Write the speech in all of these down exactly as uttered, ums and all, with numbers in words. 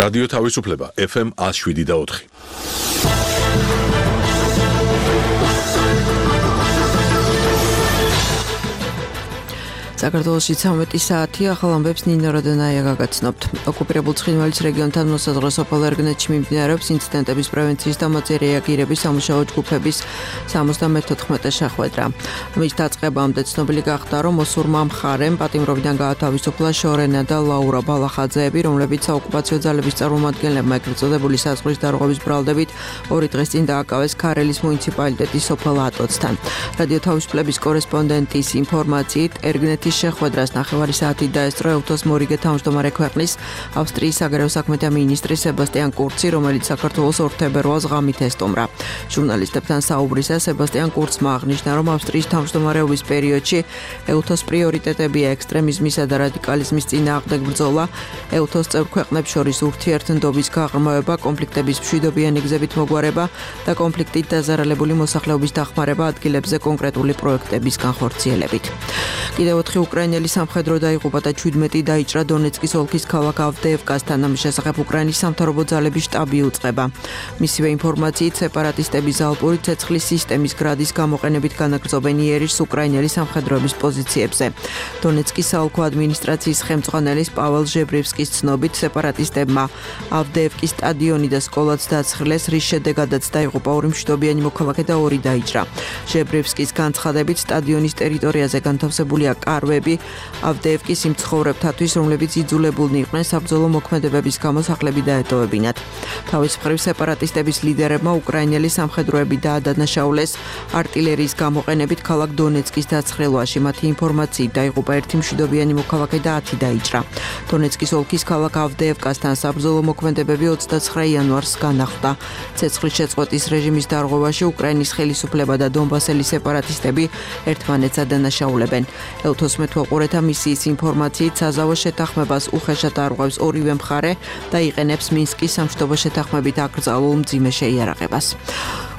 რადიო თავისუფლება ეფ ემ one oh seven და four. საქართველოში ცამეტი საათი ახალ ამბებს ნინო როდონაია გაგაცნობთ. ოკუპირებულ ცხინვალის რეგიონთან მოსაზღვრე სოფელ ერგნეთში მიმდინარეობს ინციდენტების პრევენციის და მოწე რეაგირების სამუშაო ჯგუფების სამოცდამეთოთხმეტე შეხვედრა. მის დაწყებამდე ცნობილი გახდა, რომ მოსურმა მხარემ პატიმრობიდან გაათავისუფლა შორენა და ლაურა ბალახაძეები, რომლებიც საოკუპაციო ძალების წარმომადგენლებმა ეგრეთ წოდებული საზღვრის დარღვევის ბრალდებით ორი დღის წინ დააკავეს ქარელის მუნიციპალიტეტის სოფელ ატოცთან. რადიო თავისუფლების კორესპონდენტის ინფორმაციით ერგნეთის შეხვედრას ნახევარი საათი დაესწრო ელთოს მორიგე თავმჯდომარე ქვეყნის ავსტრიის საგარეო საქმეთა მინისტრი სებასტიან კურცი, რომელიც საქართველოს ორ თებერვალს ღამით ესტუმრა. ჟურნალისტებთან საუბრისას სებასტიან კურცმა აღნიშნა, რომ ავსტრიის თავმჯდომარეობის პერიოდში ელთოს პრიორიტეტებია ექსტრემიზმისა და რადიკალიზმის წინააღმდეგ ბრძოლა, ელთოს წევრ ქვეყნებს შორის ურთიერთდობის გაღრმავება, კონფლიქტების მშვიდობიანი გზებით მოგვარება და კონფლიქტით დაზარალებული მოსახლეობის დახმარება ადგილებზე კონკრეტული პროექტების განხორციელებით. კიდევ ოთხი უკრაინელი სამხედრო დაიღუპა და ჩვიდმეტი დაიჭრა დონეცკის ოლქის ქალაქ ავდეევკასთან. ამის შესახებ უკრაინის სამთავრობო ძალების შტაბი უწყება. მისივე ინფორმაციით სეპარატისტების ალპური ცეცხლის სისტემის გრადის გამოყენებით განაგრძობენ იერიშს უკრაინელი სამხედროების პოზიციებზე. დონეცკის საოლქო ადმინისტრაციის ხელმძღვანელის პაվել ჟებრევსკის ცნობით სეპარატისტებმა ავდეევკის სტადიონი და სკოლაც დაცხრილეს, რის შედეგადაც დაიღუპა ორი მშვიდობიანი მოქალაქე და ორი დაიჭრა. ჟებრევსკის განცხადებით სტადიონის ტერიტორიაზე განთავსებულია კარვები ავდეევკის იმ ცხოვრებთათვის, რომლებიც იძულებულნი იყვნენ საბრძოლო მოქმედებების გამო სახლები დაეტოვებინათ. თავის მხრივ სეპარატისტების ლიდერებმა უკრაინელი სამხედროები დაადანაშაულეს артиლერიის გამოყენებით ქალაქ დონეცკის დაცხრილვაში. მათი ინფორმაციით დაიღუპა ერთი მშვიდობიანი მოქალაქე და ათი დაიჭრა. დონეცკის ოლქის ქალაქ ავდეევკასთან საბრძოლო მოქმედებები ოცდაცხრა იანვარს განახლდა. ცეცხლის შეწყვეტის რეჟიმის დარღვევაში უკრაინის ხელისუფლება და დონბასელი სეპარატისტები ერთმანეთს ადანაშაულებენ. ელთოს მეთვალყურეთა მისიის ინფორმაციით საზავო შეთანხმებას უხეშად არღვევს ორივე მხარე და იყენებს მინსკის სამშვიდობო შეთანხმებით აკრძალულ მძიმე შეიარაღებას.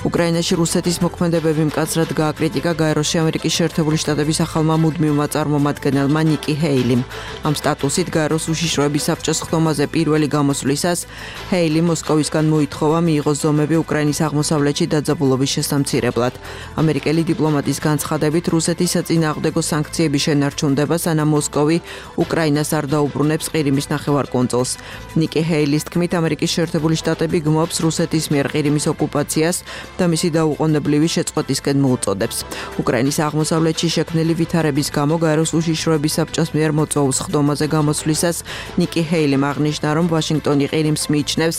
უკრაინაში რუსეთის მოქმედებები მკაცრად გააკრიტიკა გაეროში ამერიკის შეერთებული შტატების ახალმა მუდმივმა წარმომადგენელმა ნიკი ჰეილიმ. ამ სტატუსით გაეროს უშიშროების საბჭოს ხდომაზე პირველი გამოსვლისას ჰეილი მოსკოვისგან მოითხოვა მიიღოს ზომები უკრაინის აღმოსავლეთში დაძაბულობის შესამცირებლად. ამერიკელი დიპლომატის განცხადებით რუსეთის საწინააღმდეგო სანქციები შენარჩუნდება, სანამ მოსკოვი უკრაინას არ დაუბრუნებს ყირიმის ნახევარკუნძულს. ნიკი ჰეილის თქმით, ამერიკის შეერთებული შტატები გმობს რუსეთის მიერ ყირიმის ოკუპაციას და მისი დაუყოვნებლივი შეწყვეტისკენ მოუწოდებს. უკრაინის აღმოსავლეთში შექმნილი ვითარების გამო გაეროს უშიშროების საბჭოს მიერ მოწვეულ ხდომაზე გამოსვლისას ნიკი ჰეილიმ აღნიშნა, რომ ვაშინგტონი ყირიმს მიიჩნევს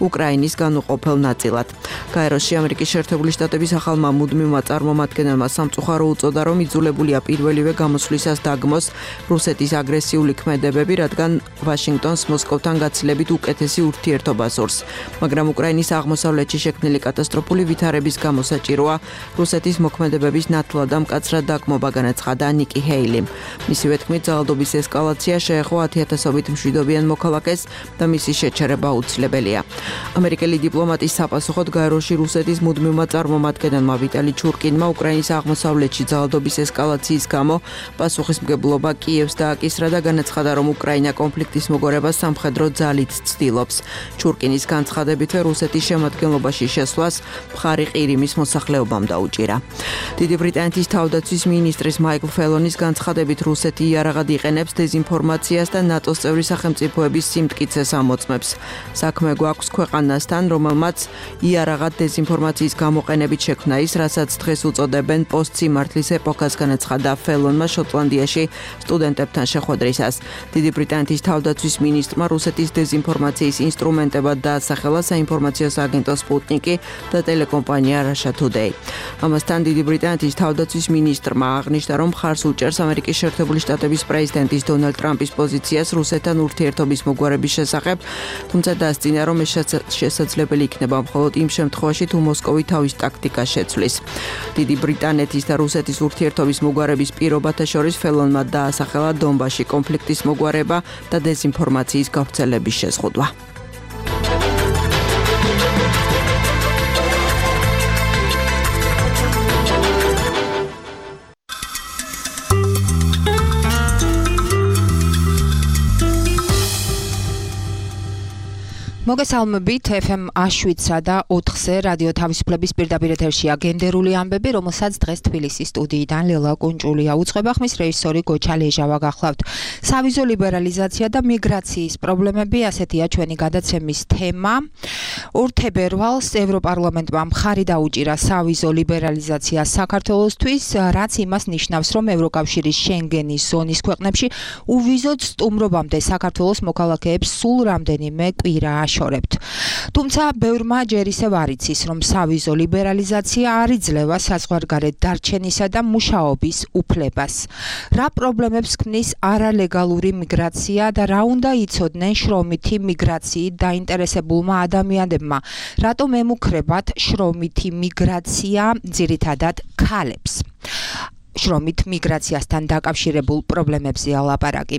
უკრაინის განუყოფელ ნაწილად. გაეროში ამერიკის შეერთებული შტატების ახალმა მუდმივმა წარმომადგენელმა სამწუხარო უწოდა, რომ იძულებულია პირველივე გამოსვლისას დაგმოს რუსეთის აგრესიული ქმედებები, რადგან ვაშინგტონს მოსკოვთან გაცილებით უკეთესი ურთიერთობა სურს. მაგრამ უკრაინის აღმოსავლეთში შექმნილი კატასტროფული ვითარების გამო საჭიროა რუსეთის მოქმედებების ნათლად და მკაცრად დაგმობა, განაცხადა ნიკი ჰეილიმ. მისივე თქმით, ძალადობის ესკალაცია შეეხო ათიათასობით მშვიდობიან მოქალაქეს და მისი შეჩერება აუცილებელია. ამერიკელი დიპლომატის საპასუხოდ გაეროში რუსეთის მუდმივმა წარმომადგენელმა ვიტალი ჩურკინმა უკრაინის აღმოსავლეთში ძალადობის ესკალაციის გამო პასუხისმგებლობა კიევს დააკისრა და განაცხადა, რომ უკრაინა კონფლიქტის მოგვარებას სამხედრო ძალით ცდილობს. ჩურკინის განცხადებითვე რუსეთის შემადგენლობაში შესვლას მხარი ყირიმის მოსახლეობამ დაუჭირა. დიდი ბრიტანეთის თავდაცვის მინისტრის მაიკლ ფელონის განცხადებით რუსეთი იარაღად იყენებს დეზინფორმაციას და ნატოს წევრი სახელმწიფოების სიმტკიცეს ამოწმებს. საქმე გვაქვს ქვეყანასთან, რომელმაც იარაღად დეზინფორმაციის გამოყენებით შექმნა ის, რასაც დღეს უწოდებენ პოსტსიმართლის ეპოქას, განაცხადა ფელონმა შოტლანდიაში სტუდენტებთან შეხვედრისას. დიდი ბრიტანეთის თავდაცვის მინისტრმა რუსეთის დეზინფორმაციის ინსტრუმენტებად დაასახელა საინფორმაციო აგენტო სპუტნიკი და ტელეკომპანია Russia Today. ამასთან დიდი ბრიტანეთის თავდაცვის მინისტრმა აღნიშნა, რომ მხარს უჭერს ამერიკის შეერთებული შტატების პრეზიდენტის დონალდ ტრამპის პოზიციას რუსეთთან ურთიერთობის მოგვარების შესახებ, თუმცა დასძინა, რომ ეს შესაძლებელი იქნება მხოლოდ იმ შემთხვევაში, თუ მოსკოვი თავის ტაქტიკას შეცვლის. დიდი ბრიტანეთის და რუსეთის ურთიერთობის მოგვარების პირობათა შორის ფელონმა დაასახელა დონბასში კონფლიქტის მოგვარება და დეზინფორმაციის გავრცელების შეზღუდვა. მოგესალმებით ეფ ემ შვიდსა და ოთხზე რადიო თავისუფლების პირდაპირ ეთერშია გენდერული ამბები, რომელსაც დღეს თბილისის სტუდიიდან ლელა კუნჭულია უწყება, ხმის რეჟისორი გოჩა ლეჟავა გახლავთ. სავიზო ლიბერალიზაცია და მიგრაციის პრობლემები, ასეთია ჩვენი გადაცემის თემა. ორ თებერვალს ევროპარლამენტმა მხარი დაუჭირა სავიზო ლიბერალიზაცია საქართველოსთვის, რაც იმას ნიშნავს, რომ ევროკავშირის შენგენის ზონის ქვეყნებში უვიზოდ სტუმრობამდე საქართველოს მოქალაქეებს სულ რამდენიმე კვირა აშორებთ. თუმცა ბევრმა ჯერ ისევ არ იცის, რომ სავიზო ლიბერალიზაცია არ იძლევა საზღვარგარეთ დარჩენისა და მუშაობის უფლებას. რა პრობლემებს ქმნის არალეგალური მიგრაცია და რა უნდა იცოდნენ შრომითი მიგრაციით დაინტერესებულმა ადამიანებმა, რატომ ემუქრებათ შრომითი მიგრაცია ძირითადად ქალებს. შრომით მიგრაციასთან დაკავშირებულ პრობლემებზე ალაპარაკი.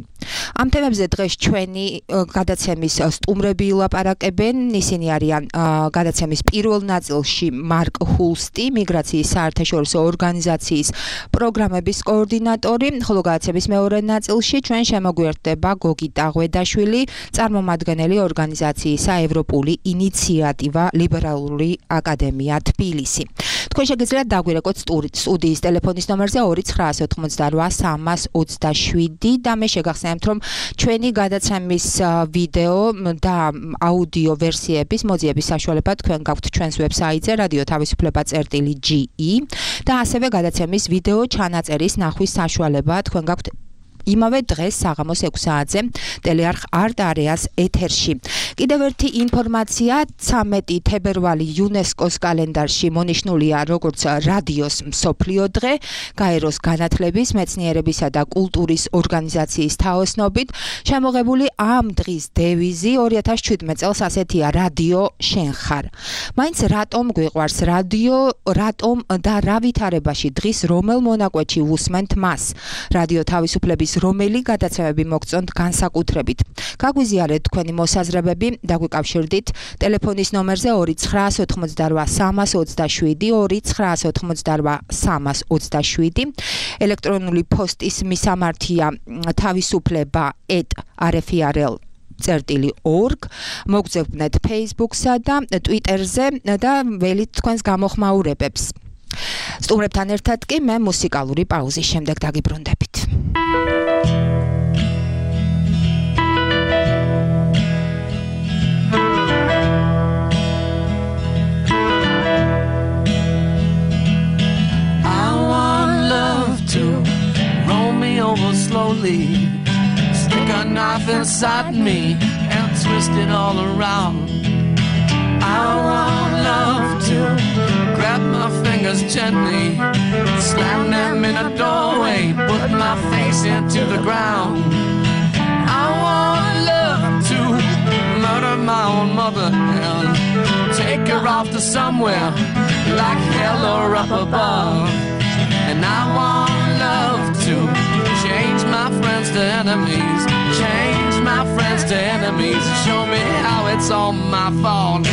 ამ თემებზე დღეს ჩვენი გადაცემის სტუმრები ილაპარაკებენ. ისინი არიან გადაცემის პირველ ნაწილში მარკ ჰულსტი, მიგრაციის საერთაშორისო ორგანიზაციის პროგრამების კოორდინატორი, ხოლო გადაცემის მეორე ნაწილში ჩვენ შემოგვიერთდება გოგი ტაღვედაშვილი, წარმომადგენელი ორგანიზაციისა ევროპული ინიციატივა ლიბერალური აკადემია თბილისი. თქვენ შეგიძლიათ დაგვირეკოთ სტუდიის ტელეფონის ნომერზე ორი ცხრაას ოთხმოცდარვა სამას ოცდაშვიდი და მე შეგახსენებთ, რომ ჩვენი გადაცემის ვიდეო და აუდიო ვერსიების მოძიების საშუალება თქვენ გაქვთ ჩვენს ვებსაიტზე რადიო თავისუფლება წერტილი ჯი ი და ასევე გადაცემის ვიდეო ჩანაწერის ნახვის საშუალება თქვენ გაქვთ იმავე დღეს საღამოს ექვს საათზე ტელეარხ არტ არეას ეთერში. კიდევ ერთი ინფორმაცია, ცამეტი თებერვალი იუნესკოს კალენდარში მონიშნულია როგორც რადიოს მსოფლიო დღე, გაეროს განათლების, მეცნიერებისა და კულტურის ორგანიზაციის თაოსნობით. შემოღებული ამ დღის დევიზი ორი ათას შვიდმეტ წელს ასეთია: რადიო შენ ხარ. მაინც რატომ გვიყვარს რადიო, რატომ და რა ვითარებაში დღის რომელ მონაკვეთში ვუსმენთ მას? რადიო თავისუფლების რომელი გადაცემები მოგწონთ განსაკუთრებით. გაგვიზიარეთ თქვენი მოსაზრებები, დაგვიკავშირდით ტელეფონის ნომერზე ორი ცხრაას ოთხმოცდარვა სამას ოცდაშვიდი, ორი ცხრაას ოთხმოცდარვა სამას ოცდაშვიდი. ელექტრონული პოსტის მისამართია თავისუფლება ეტ არ ეფ ი არ ელ წერტილი ორგ. მოგძებნეთ Facebook-სა და Twitter-ზე და ველით თქვენს გამოხმაურებებს. სტუმრებთან ერთად კი მე მუსიკალური პაუზის შემდეგ დაგიბრუნდებით. Over slowly, stick a knife inside me and twist it all around. I want love to grab my fingers gently, slam them in a doorway, put my face into the ground. I want love to murder my own mother and take her off to somewhere like hell or up above. And I want love to change my friends to enemies, change my friends to enemies, show me how it's all my fault.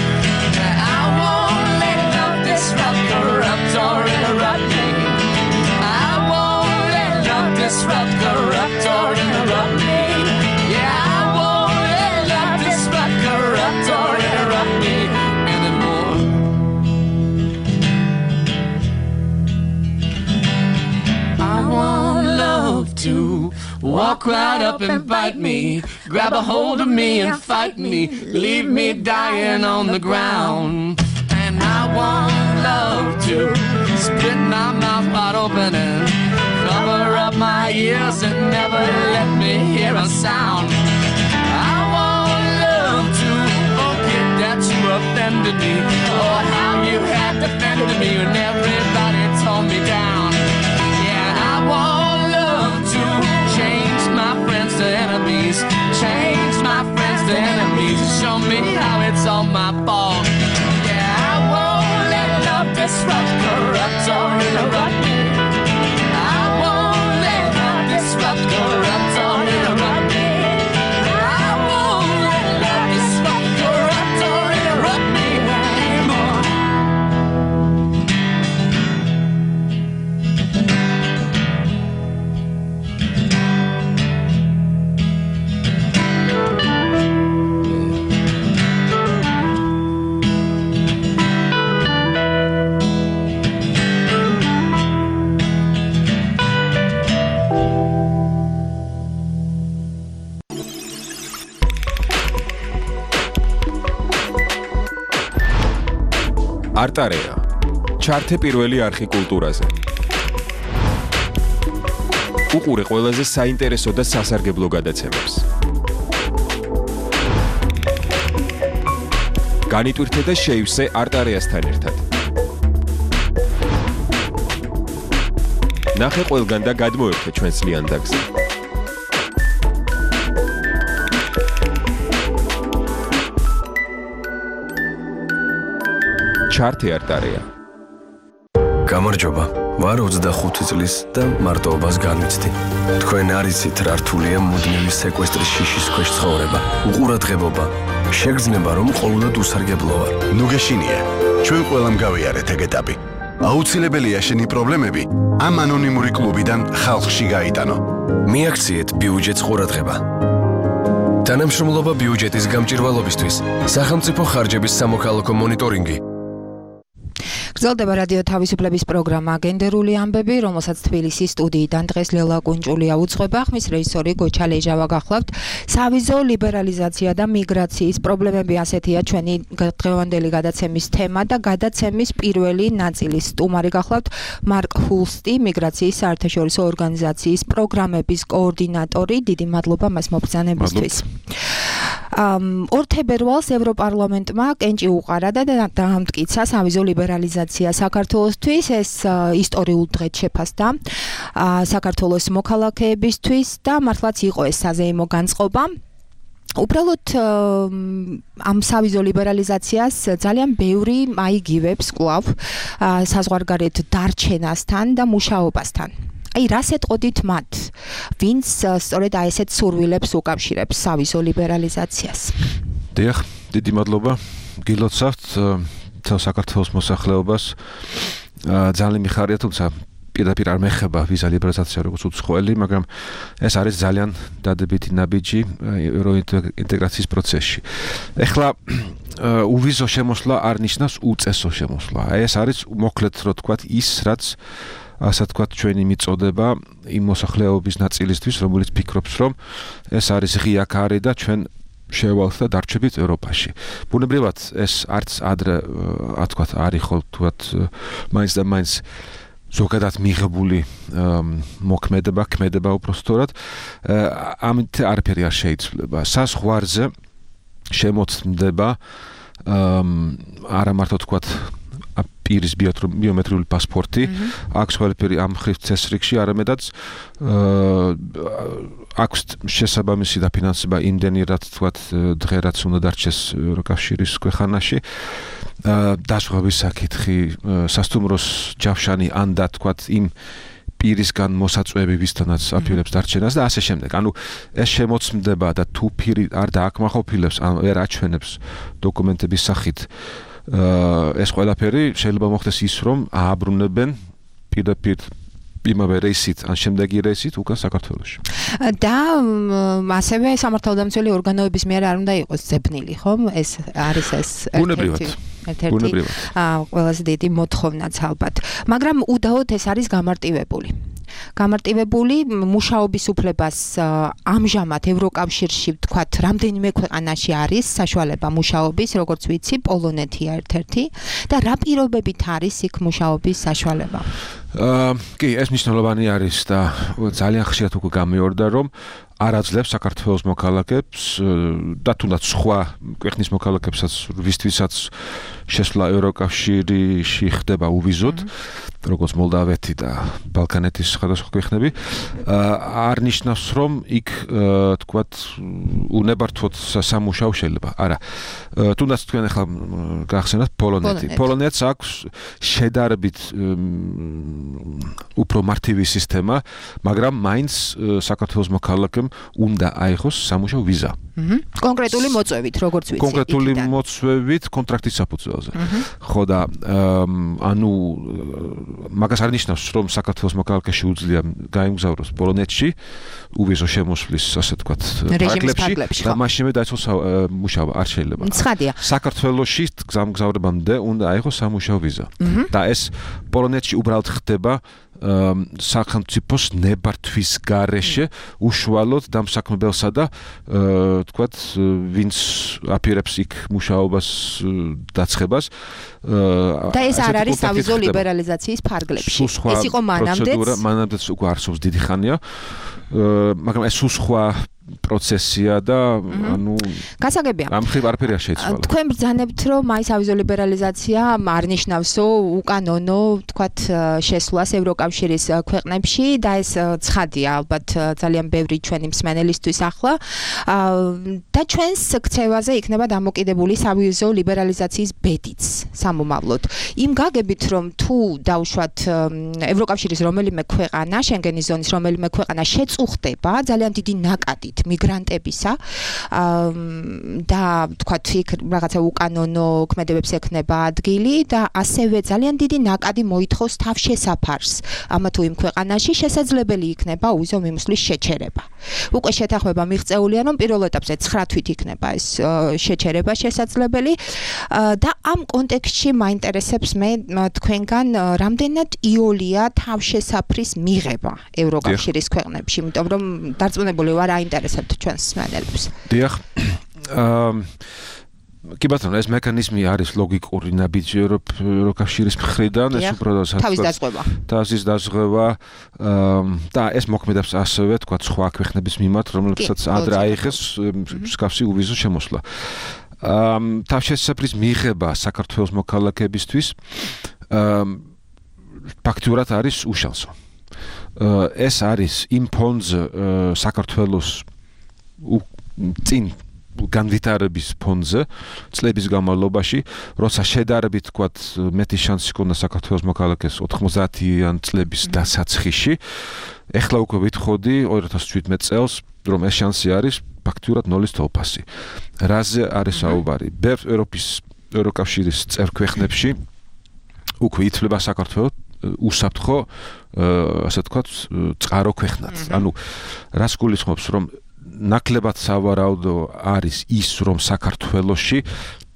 I won't let love disrupt, corrupt or interrupt me. I won't let love disrupt, corrupt or interrupt me. Yeah, I won't let love disrupt, corrupt or interrupt me anymore. I want love to walk right up and bite me, grab a hold of me and fight me, leave me dying on the ground. And I want love to split my mouth wide open and cover up my ears and never let me hear a sound. I want love to forget that you offended me, or how you had defended me when everybody tore me down. Yeah, I want love to change my friends to enemies, change my friends to enemies, show me how it's all my fault. Yeah, I won't let love disrupt, corrupt or interrupt me. I won't let love disrupt, corrupt or interrupt me. I won't let love disrupt, corrupt or interrupt me anymore. არტარეა. ჩართე პირველი არხი კულტურაზე. უყურე ყველაზე საინტერესო და სასარგებლო გადაცემებს. განიტვირთე და შეივსე არტარეასთან ერთად. ნახე ყველგან და გადმოერთე ჩვენს ლიანდაგზე. ჩართე არტარეა. გამარჯობა. ვარ ოცდახუთი წლის და მარტოობას განვიცდი. თქვენ არ იცით რა რთულია მუდმივი სეკვესტრის შიშის ქვეშ ცხოვრება. უყურადღებობა. შეგრძნება რომ ყოველდღე უსარგებლო ვარ. ნუ გეშინია. ჩვენ ყველამ გავიარეთ ეგ ეტაპი. აუცილებელია შენი პრობლემები ამ ანონიმური კლუბიდან ხალხში გაიტანო. მიაქციეთ ბიუჯეტს ყურადღება. თანამშრომლობა ბიუჯეტის გამჭირვალობისთვის. სახელმწიფო ხარჯების სამოქალაქო მონიტორინგი. გრძელდება რადიო თავისუფლების პროგრამა გენდერული ამბები, რომელსაც თბილისის სტუდიიდან დღეს ლელა კუნჭულია უძღვება, ხმის რეჟისორი გოჩა ლეჟავა გახლავთ. სავიზო ლიბერალიზაცია და მიგრაციის პრობლემები ასეთია ჩვენი დღევანდელი გადაცემის თემა და გადაცემის პირველი ნაწილის სტუმარი გახლავთ მარკ ჰულსტი, მიგრაციის საერთაშორისო ორგანიზაციის პროგრამების კოორდინატორი. დიდი მადლობა მას მობრძანებისთვის. ორ თებერვალს ევროპარლამენტმა კენჭი უყარა და დაამტკიცა სავიზო ლიბერალიზაცია საქართველოსთვის. ეს ისტორიულ დღედ შეფასდა საქართველოს მოქალაქეებისთვის და მართლაც იყო ეს საზეიმო განწყობა. უბრალოდ ამ სავიზო ლიბერალიზაციას ძალიან ბევრი აიგივებს კვლავ საზღვარგარეთ დარჩენასთან და მუშაობასთან. აი რას ეტყოდით მათ, ვინც სწორედ აი ესეთ სურვილებს უკავშირებს სავიზო ლიბერალიზაციას? დიახ, დიდი მადლობა. გილოცავთ თელ საქართველოს მოსახლეობას. ძალიან მიხარია, თუმცა პირდაპირ არ მეხება ვიზა ლიბერალიზაცია როგორც უცხოელი, მაგრამ ეს არის ძალიან დადებითი ნაბიჯი ევროინტეგრაციის პროცესში. ეხლა უვიზო შემოსვლა არ ნიშნავს უწესო შემოსვლა. აი ეს არის მოკლედ რო თქვათ ის, რაც ასე თქვათ ჩვენი მიწოდება იმ მოსახლეობის ნაწილისთვის, რომელიც ფიქრობს, რომ ეს არის ღია კარი და ჩვენ შევალთ და დარჩებით ევროპაში. ბუნებრივად ეს არც ადრე ასე თქვათ არ იყო თქვათ მაინც და მაინც ზოგადად მიღებული მოქმედება, ქმედება უпростоრად. ამით არაფერი არ შეიძლება. საზღვარზე შემოწმდება არა მარტო თქვათ პირის ბიომეტრიული პასპორტი, აქვს ყველაფერი ამ ხრივ წესრიგში, არამედაც აქვს შესაბამისი დაფინანსება იმდენი, რაც თქვათ დღე რაც უნდა დარჩეს ევროკავშირის ქვეყანაში. დასვღების საკითხი, სასტუმროს ჯავშანი ან და თქვათ იმ პირისგან მოსაწვევი ვისთანაც აპირებს დარჩენას და ასე შემდეგ. ანუ ეს შემოწმდება და თუ პირი არ დააკმაყოფილებს, ან ვერ აჩვენებს დოკუმენტების სახით ეს ყველაფერი შეიძლება მოხდეს ის, რომ ააბრუნებენ პირდაპირ იმავე რეისით ან შემდეგი რეისით უკან საქართველოში. და ასევე სამართალდამცველი ორგანოების მიერ არ უნდა იყოს ძებნილი, ხომ? ეს არის ეს ბუნებრივად. ერთ-ერთი ყველაზე დიდი მოთხოვნაც ალბათ. მაგრამ უდაოდ ეს არის გამარტივებული. გამარტივებული მუშაობის უფლებას ამჟამად ევროკავშირში ვთქვათ, რამდენიმე ქვეყანაში არის საშუალება მუშაობის, როგორც ვიცი, პოლონეთია ერთ-ერთი და რა პირობებით არის იქ მუშაობის საშუალება? კი, ეს მნიშვნელოვანი არის და ძალიან ხშირად უკვე გამიორდა, რომ არ აძლევს საქართველოს მოქალაქეებს და თუნდაც სხვა ქვეყნის მოქალაქეებსაც, ვისთვისაც შესვლა ევროკავშირში ხდება უვიზოდ, როგორც მოლდავეთი და ბალკანეთის სხვადასხვა ქვეყნები, არ ნიშნავს, რომ იქ თქვათ უნებართვოდ სამუშაო შეიძლება. არა. თუნდაც თქვენ ახლა გახსენათ პოლონეთი. პოლონეთს აქვს შედარებით უფრო მარტივი სისტემა, მაგრამ მაინც საქართველოს მოქალაქემ უნდა აიღოს სამუშაო ვიზა. კონკრეტული მოწვევით, როგორც ვიცი. კონკრეტული მოწვევით კონტრაქტის საფუძველზე. ხო და ანუ მაგას არ ნიშნავს, რომ საქართველოს მოქალაქე შეუძლია გაემგზავროს პოლონეთში უვიზო შემოსვლის, ასე ვთქვათ, ფარგლებში და მაშინვე დაიწყოს მუშაობა. არ შეიძლება. ცხადია. საქართველოში გზამგზავრებამდე უნდა აიღოს სამუშაო ვიზა. და ეს პოლონეთში უბრალოდ ხდება სახელმწიფოს ნებართვის გარეშე უშუალოდ დამსაქმებელსა და თქვათ ვინც აპირებს იქ მუშაობას დაცხებას და ეს არ არის სავიზო ლიბერალიზაციის ფარგლებში. ეს იყო მანამდეც მანამდეც უკვე არსებობს დიდი ხანია, მაგრამ ეს სხვა პროცესია და ანუ გასაგებია. ამ ხრივ არაფერი არ შეიცვალა. თქვენ ბრძანებთ, რომ აი სავიზო ლიბერალიზაცია არ ნიშნავსო უკანონო, თქვათ, შესვლას ევროკავშირის ქვეყნებში და ეს ცხადია ალბათ ძალიან ბევრი ჩვენი მსმენელისთვის ახლა და ჩვენს ქცევაზე იქნება დამოკიდებული სავიზო ლიბერალიზაციის ბედიც სამომავლოდ. იმ გაგებით, რომ თუ დავუშვათ ევროკავშირის რომელიმე ქვეყანა, შენგენის ზონის რომელიმე ქვეყანა შეწუხდება ძალიან დიდი ნაკადით მიგრანტებისა და თქვათ იქ რაღაცა უკანონო ქმედებებს ექნება ადგილი და ასევე ძალიან დიდი ნაკადი მოითხოვს თავშესაფარს ამა თუ იმ ქვეყანაში შესაძლებელი იქნება უზო მიმსვლის შეჩერება. უკვე შეთანხმება მიღწეულია, რომ პირველ ეტაპზე ცხრა თვით იქნება ეს შეჩერება შესაძლებელი და ამ კონტექსტში მაინტერესებს მე თქვენგან რამდენად იოლია თავშესაფრის მიღება ევროკავშირის ქვეყნებში, იმიტომ რომ დარწმუნებული ვარ აინტერესებთ ჩვენს მსმენელებს. დიახ. აა კი ბატონო, ეს მექანიზმი არის ლოგიკური ნაბიჯი ევროკავშირის მხრიდან, ეს უბრალოდ თავის დაზღვევა. თავის დაზღვევა და ეს მოქმედებს ასევე, თქვა, სხვა ქვეყნების მიმართ, რომლებსაც ადრე აიღეს მსგავსი უვიზო შემოსვლა. აა თავშესაფრის მიღება საქართველოს მოქალაქეებისთვის აა ფაქტურად არის უშანსო. ეს არის იმ ფონდზე საქართველოს წინ განვითარების ფონდზე წლების განმავლობაში, როცა შედარებით თქვათ მეტი შანსი ჰქონდა საქართველოს მოქალაქეს ოთხმოცდაათიან წლების დასაწყისში, ეხლა უკვე ვითხოვდი ორი ათას შვიდმეტ წელს, რომ ეს შანსი არის ფაქტურად ნოლის თოლფასი. რაზე არის საუბარი? ბევრ ევროპის ევროკავშირის წევრ ქვეყნებში უკვე ითვლება საქართველოს უსაფრთხო, ასე ვთქვათ, წყარო ქვეყნად. ანუ რას გულისხმობს, რომ ნაკლებად სავარაუდო არის ის, რომ საქართველოში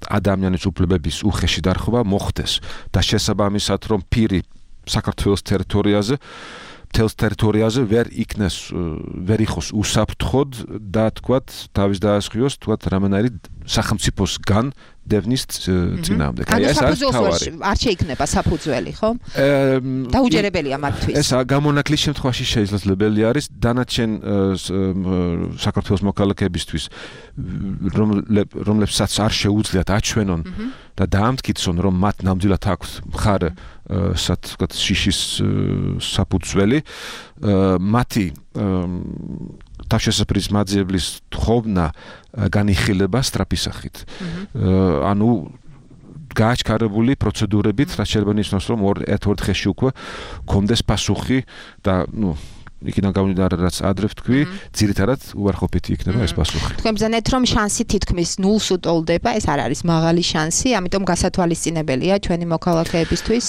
ადამიანის უფლებების უხეში დარღვევა მოხდეს და შესაბამისად, რომ პირი საქართველოს ტერიტორიაზე მთელს ტერიტორიაზე ვერ იქნეს, ვერ იყოს უსაფრთხოდ და თქვათ, თავის დაასხიოს, თქვათ, რამენაირი სახელმწიფოსგან დევნის წინააღმდეგ. აი ეს არის თავარი. არ შეიქმნება საფუძველი, ხო? დაუჯერებელია მათთვის. ეს გამონაკლის შემთხვევაში შესაძლებელი არის დანარჩენ საქართველოს მოქალაქეებისთვის, რომლებსაც არ შეუძლიათ აჩვენონ და დაამტკიცონ, რომ მათ ნამდვილად აქვს მხარე თქვათ შიშის საფუძველი, მათი თავშესაფრის მაძიებლის თხოვნა განიხილება სწრაფის სახით. ანუ გააჩქარებული პროცედურებით, რაც შეიძლება ნიშნავს, რომ ერთ-ერთ დღეში უკვე კონდეს პასუხი და ნუ იქიდან გამომდინარე, რაც ადრე ვთქვი, ძირითადად უარყოფითი იქნება ეს პასუხი. თქვენ ბრძანეთ, რომ შანსი თითქმის ნულს უტოლდება, ეს არ არის მაღალი შანსი, ამიტომ გასათვალისწინებელია ჩვენი მოქალაქეებისთვის.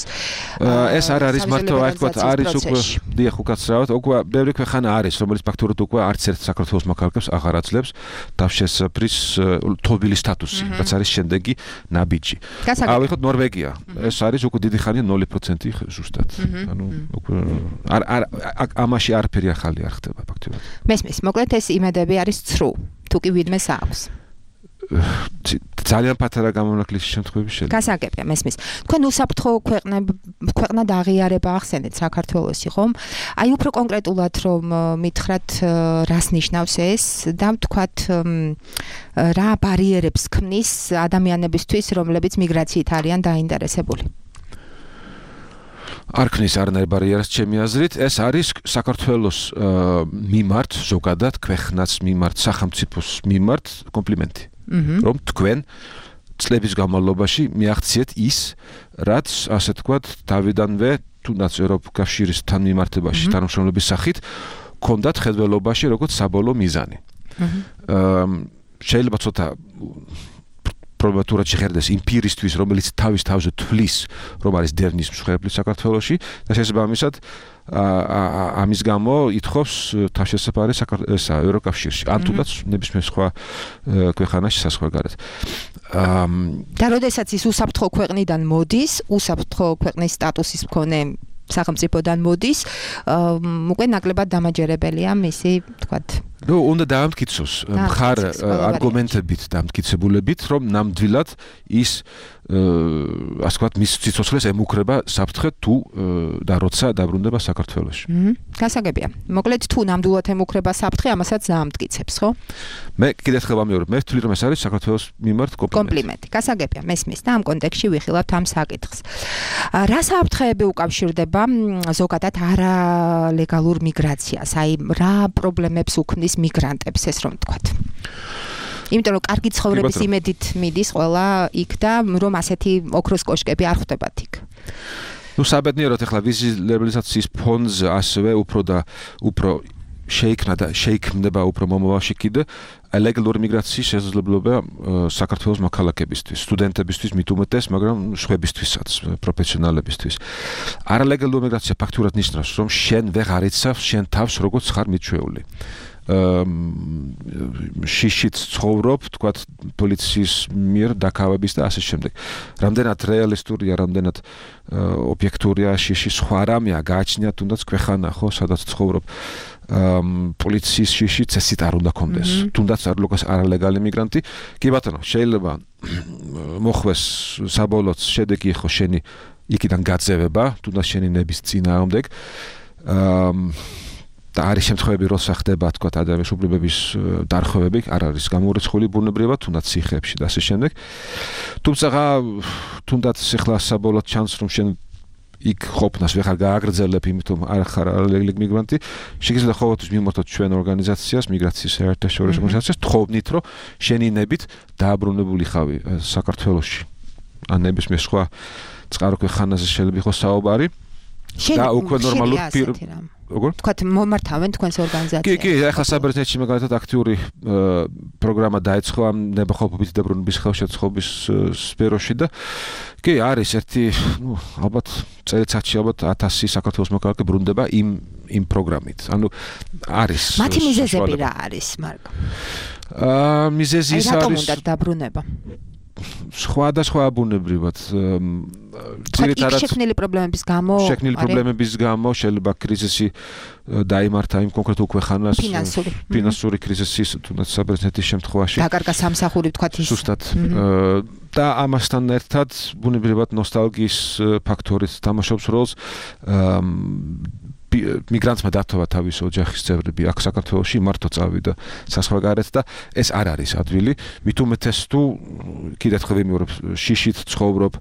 ეს არ არის მარტო, აი თქვათ, არის უკვე დიახ, უკაცრავად, უკვე ბევრი ქვეყანა არის, რომელიც ფაქტურად უკვე არც ერთ საქართველოს მოქალაქეებს აღარ აძლევს თავშესაფრის თობილი სტატუსი, რაც არის შემდეგი ნაბიჯი. ავიღოთ ნორვეგია. ეს არის უკვე დიდი ხანია ნული პროცენტი ზუსტად. ანუ უკვე არ არ ამაში არაფერი ახალი არ ხდება ფაქტობრივად. მესმის, მოკლედ ეს იმედები არის ცრუ, თუ კი ვიდმეს აქვს. ძალიან პატარა გამონაკლის შემთხვევები შეიძლება. გასაგებია, მესმის. თქვენ უსაფრთხო ქვეყნად აღიარება ახსენეთ საქართველოსი, ხომ? აი უფრო კონკრეტულად რომ მითხრათ, რას ნიშნავს ეს და თქვათ რა ბარიერებს ქმნის ადამიანებისთვის, რომლებიც მიგრაციით არიან დაინტერესებული. არ ქნის არანაირ ბარიერას ჩემი აზრით, ეს არის საქართველოს მიმართ, ზოგადად ქვეყნას მიმართ, სახელმწიფოს მიმართ კომპლიმენტი. რომ თქვენ წლების განმავლობაში მიაღწიეთ ის, რაც ასე ვთქვათ, თავიდანვე თუნდაც ევროკავშირის თანმიმართებაში თანამშრომლობის სახით ქონდათ ხედველობაში როგორც საბოლოო მიზანი. შეიძლება ცოტა პრობატურად შეხედეს იმ პირისთვის, რომელიც თავის თავზე თვლის, რომ არის დევნის მსხვერპლი საქართველოში და შესაბამისად ამის გამო ითხოვს თავშესაფარი ესა ევროკავშირში, ან თუნდაც ნებისმიერ სხვა ქვეყანაში საზღვარგარეთ. და როდესაც ის უსაფრთხო ქვეყნიდან მოდის, უსაფრთხო ქვეყნის სტატუსის მქონე სახელმწიფოდან მოდის, უკვე ნაკლებად დამაჯერებელია მისი, თქვათ, ნუ უნდა დაამტკიცოს მხარ არგუმენტებით დამტკიცებულებით, რომ ნამდვილად ის ასე ვთქვათ, მის სიცოცხლეს ემუქრება საფრთხე თუ და როცა დაბრუნდება საქართველოში. გასაგებია. მოკლედ თუ ნამდვილად ემუქრება საფრთხე, ამასაც დაამტკიცებს, ხო? მე კიდევ ერთხელ ვამეორებ, მე ვთვლი, რომ ეს არის საქართველოს მიმართ კომპლიმენტი. კომპლიმენტი. გასაგებია, მესმის და ამ კონტექსტში ვიხილავთ ამ საკითხს. რა საფრთხეები უკავშირდება ზოგადად არალეგალურ მიგრაციას? აი, რა პრობლემებს უქმნის მიგრანტებს, ეს რომ ვთქვათ? იმიტომ რომ კარგი ცხოვრების იმედით მიდის ყველა იქ და რომ ასეთი ოქროს კოშკები არ ხვდებათ იქ. ნუ საბედნიეროდ ახლა ვიზის ლიბერალიზაციის ფონდზე ასევე უფრო და უფრო შეიქმნა და შეიქმნება უფრო მომავალში კიდე ლეგალური მიგრაციის შესაძლებლობა საქართველოს მოქალაქეებისთვის, სტუდენტებისთვის მით უმეტეს, მაგრამ სხვებისთვისაც, პროფესიონალებისთვის. არალეგალური მიგრაცია ფაქტურად ნიშნავს, რომ შენ ვეღარ იცავ შენ თავს როგორც ხარ მიჩვეული. შიშით ცხოვრობ, თქვათ, პოლიციის მიერ დაკავების და ასე შემდეგ. რამდენად რეალისტურია, რამდენად ობიექტურია შიში, სხვა რამეა გააჩნია, თუნდაც ქვეყანა, ხო, სადაც ცხოვრობ. პოლიციის შიში წესით არ უნდა კონდეს. თუნდაც არ ლოკას არალეგალი მიგრანტი. კი ბატონო, შეიძლება მოხვეს საბოლოო შედეგი ხო შენი იქიდან გაძევება, თუნდაც შენი ნების წინააღმდეგ. და არის შემთხვევები, როცა ხდება, თქვათ, ადამიანის უფლებების დარღვევები, არ არის გამორიცხული ბუნებრივად, თუნდაც ციხეებში და ასე შემდეგ. თუმცა, თუნდაც ახლა საბოლოოდ ჩანს, რომ შენ იქ ყოფნას ვეღარ გააგრძელებ, იმიტომ არ ხარ არალეგალური მიგრანტი, შეგიძლია ყოველთვის მიმართოთ ჩვენ ორგანიზაციას, მიგრაციის საერთაშორისო ორგანიზაციას, თხოვნით, რომ შენი ნებით დააბრუნებული ხავი საქართველოში. ან ნებისმიერ სხვა წყარო ქვეყანაზე შეიძლება იყოს საუბარი. და უკვე ნორმალურ როგორ? თქვათ, მომართავენ თქვენს ორგანიზაციას. კი, კი, ახლა საბერძნეთში მაგალითად აქტიური პროგრამა დაიწყო ამ ნებაყოფობით დაბრუნების ხელშეწყობის სფეროში და კი, არის ერთი, ნუ, ალბათ წელიწადში ალბათ ათასი საქართველოს მოქალაქე ბრუნდება იმ იმ პროგრამით. ანუ არის მათი მიზეზები რა არის, მარკო? აა, მიზეზი ის არის. რატომ უნდა დაბრუნება? სხვადასხვა ბუნებრივად ძირითადად შექმნილი პრობლემების გამო შექმნილი პრობლემების გამო შეიძლება კრიზისი დაიმართა იმ კონკრეტულ ქვეყანას ფინანსური კრიზისის თუნდაც საბერძნეთის შემთხვევაში დაკარგა სამსახური თქვათ ის ზუსტად და ამასთან ერთად ბუნებრივად ნოსტალგიის ფაქტორიც თამაშობს როლს მიგრანტმა დათოვა თავის ოჯახის წევრები აქ საქართველოში მარტო წავიდა საზღვარგარეთ და ეს არ არის ადვილი მით უმეტეს თუ კიდევ ერთხელ ვიმეორებ შიშით ცხოვრობ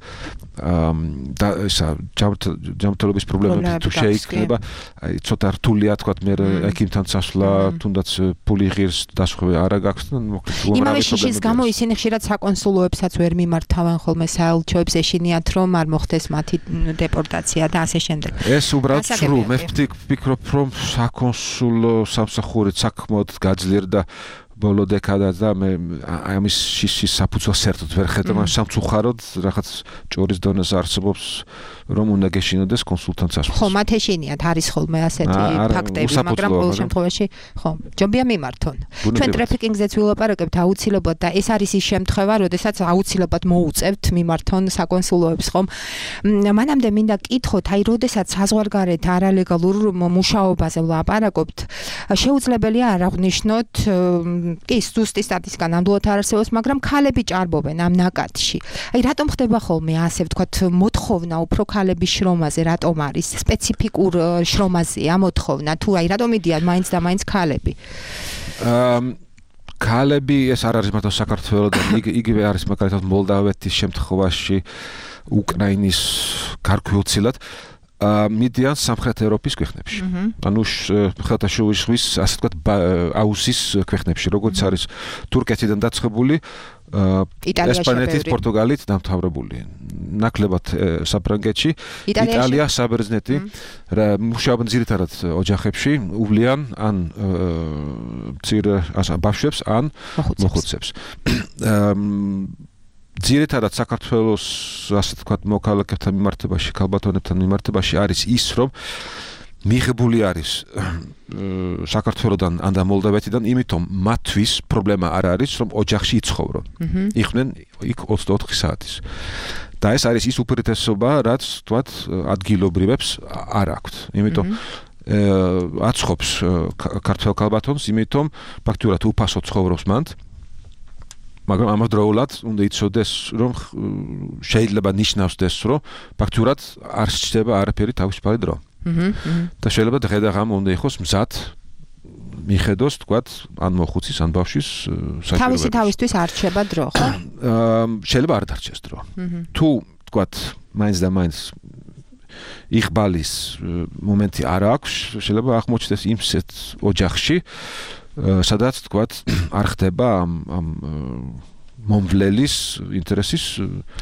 და ისა ჯანმრთელობის პრობლემები თუ შეიქმნება აი ცოტა რთულია თქვა მე ეკიმთან წასვლა თუნდაც ფული ღირს დასხვევი არა გაქვს და მოკლედ იმავე შიშის გამო ისინი ხშირად საკონსულოებსაც ვერ მიმართავენ ხოლმე საელჩოებს ეშინიათ რომ არ მოხდეს მათი დეპორტაცია და ასე შემდეგ ეს უბრალოდ სრულ მე ვფიქრობ რომ საკონსულო სამსახური საქმოდ გაძლიერდა ბოლო დეკადას და მე ამის შიშის საფუძველს საერთოდ ვერ ხედავ ამ სამწუხაროდ რაღაც ჭორის დონეზე არსებობს რომ უნდა გეშინოდეს კონსულტანტ წასვლა ხო მათ ეშინიათ არის ხოლმე ასეთი ფაქტები მაგრამ ყოველ შემთხვევაში ხო ჯობია მიმართონ ჩვენ ტრაფიკინგზეც ვილაპარაკებთ აუცილებლად და ეს არის ის შემთხვევა როდესაც აუცილებლად მოუწევთ მიმართონ საკონსულოებს ხომ მანამდე მინდა კითხოთ აი როდესაც საზღვარგარეთ არალეგალურ მუშაობაზე ვლაპარაკობთ შეუძლებელია არ აღნიშნოთ კი ზუსტი სტატისტიკა ნამდვილად არ არსებობს, მაგრამ ქალები ჭარბობენ ამ ნაკადში. აი რატომ ხდება ხოლმე ასე ვთქვათ მოთხოვნა უფრო ქალების შრომაზე, რატომ არის სპეციფიკურ შრომაზეა მოთხოვნა, თუ აი რატომ მიდიან მაინც და მაინც ქალები? აა ქალები ეს არ არის მარტო საქართველოსთან, იგივე არის მაგალითად მოლდავეთის შემთხვევაში, უკრაინის გარკვეულწილად მიდიან სამხრეთ ევროპის ქვეყნებში. ანუ ხელთაშუა ზღვის ასე ვთქვათ აუზის ქვეყნებში, როგორც არის თურქეთიდან დაწყებული, ესპანეთის, პორტუგალით დამთავრებული. ნაკლებად საფრანგეთში, იტალია, საბერძნეთი, მუშაობენ ძირითადად ოჯახებში, უვლიან ან მცირე ბავშვებს, ან მოხუცებს. ძირითადად საქართველოს ასე ვთქვათ მოქალაქეებთან მიმართებაში, ქალბატონებთან მიმართებაში არის ის, რომ მიღებული არის საქართველოდან ან და მოლდავეთიდან, იმიტომ მათთვის პრობლემა არ არის, რომ ოჯახში იცხოვრონ. იყვნენ იქ ოცდაოთხი საათის. და ეს არის ის უპირატესობა, რაც თქვათ ადგილობრივებს არ აქვთ. იმიტომ აცხობს ქართველ ქალბატონს, იმიტომ ფაქტურად უფასო ცხოვრობს მანდ. მაგრამ ამავდროულად უნდა იცოდეს, რომ შეიძლება ნიშნავდეს, რომ ფაქტურად არ სჭირდება არაფერი თავისუფალი დრო. და შეიძლება დღე და ღამე უნდა იყოს მზად მიხედოს, თქვათ, ან მოხუცის, ან ბავშვის საჭიროებებს. თავისი თავისთვის არ რჩება დრო, ხო? შეიძლება არ დარჩეს დრო. თუ, თქვათ, მაინც და მაინც იღბალის მომენტი არ აქვს, შეიძლება აღმოჩნდეს იმსეთ ოჯახში, სადაც, თქვათ, არ ხდება ამ ამ მომვლელის ინტერესის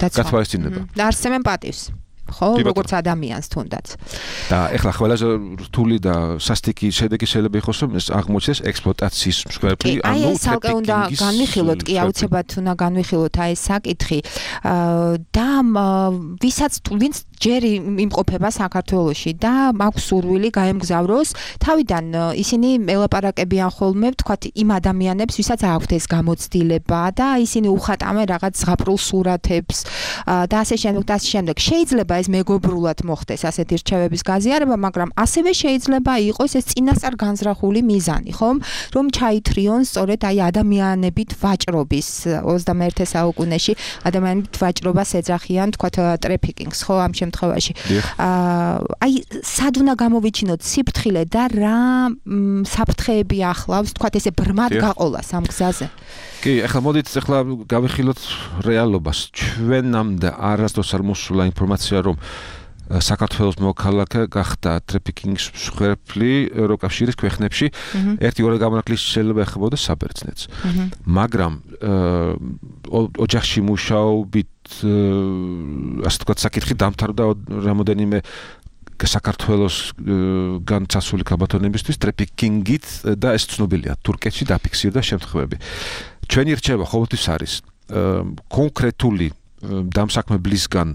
გათვალისწინება. და არსებენ პატივს. ხო, როგორც ადამიანს თუნდაც. და ეხლა ყველაზე რთული და სასტიკი შედეგი შეიძლება იყოს, რომ ეს აღმოჩნდეს ექსპლუატაციის მსხვერპლი, ანუ ეს ალკე უნდა განვიხილოთ, კი აუცილებლად უნდა განვიხილოთ აი ეს საკითხი. და ვისაც ვინც ჯერ იმყოფება საქართველოში და მაქვს სურვილი გაემგზავროს, თავიდან ისინი ელაპარაკებიან ხოლმე, ვთქვათ, იმ ადამიანებს, ვისაც აქვთ ეს გამოცდილება და ისინი უხატავენ რაღაც ზღაპრულ სურათებს და ასე შემდეგ და ასე შემდეგ. შეიძლება ეს მეგობრულად მოხდეს ასეთი რჩევების გაზიარება, მაგრამ ასევე შეიძლება იყოს ეს წინასწარ განზრახული მიზანი, ხომ? რომ ჩაითრიონ სწორედ აი ადამიანებით ვაჭრობის ოცდამეერთე საუკუნეში ადამიანებით ვაჭრობას ეძახიან, თქვათ, ტრეფიკინგს, ხო, ამ შემთხვევაში. აი სად უნდა გამოვიჩინოთ სიფრთხილე და რა საფრთხეები ახლავს, თქვათ, ესე ბრმად გაყოლას ამ გზაზე? კი, ახლა მოდით ახლა გავიხილოთ რეალობას. ჩვენამდე არასდროს არ მოსულა ინფორმაცია, რომ საქართველოს მოქალაქე გახდა ტრეფიკინგის მსხვერპლი ევროკავშირის ქვეყნებში. ერთი-ორი გამონაკლისი შეიძლება ეხებოდა საბერძნეთს. მაგრამ ოჯახში მუშაობით, ასე ვთქვათ, საკითხი დამთავრდა რამოდენიმე საქართველოს განცასული ქალბატონებისთვის ტრეფიკინგით და ეს ცნობილია. თურქეთში დაფიქსირდა შემთხვევები. ჩვენი რჩევა ყოველთვის არის კონკრეტული დამსაქმებლისგან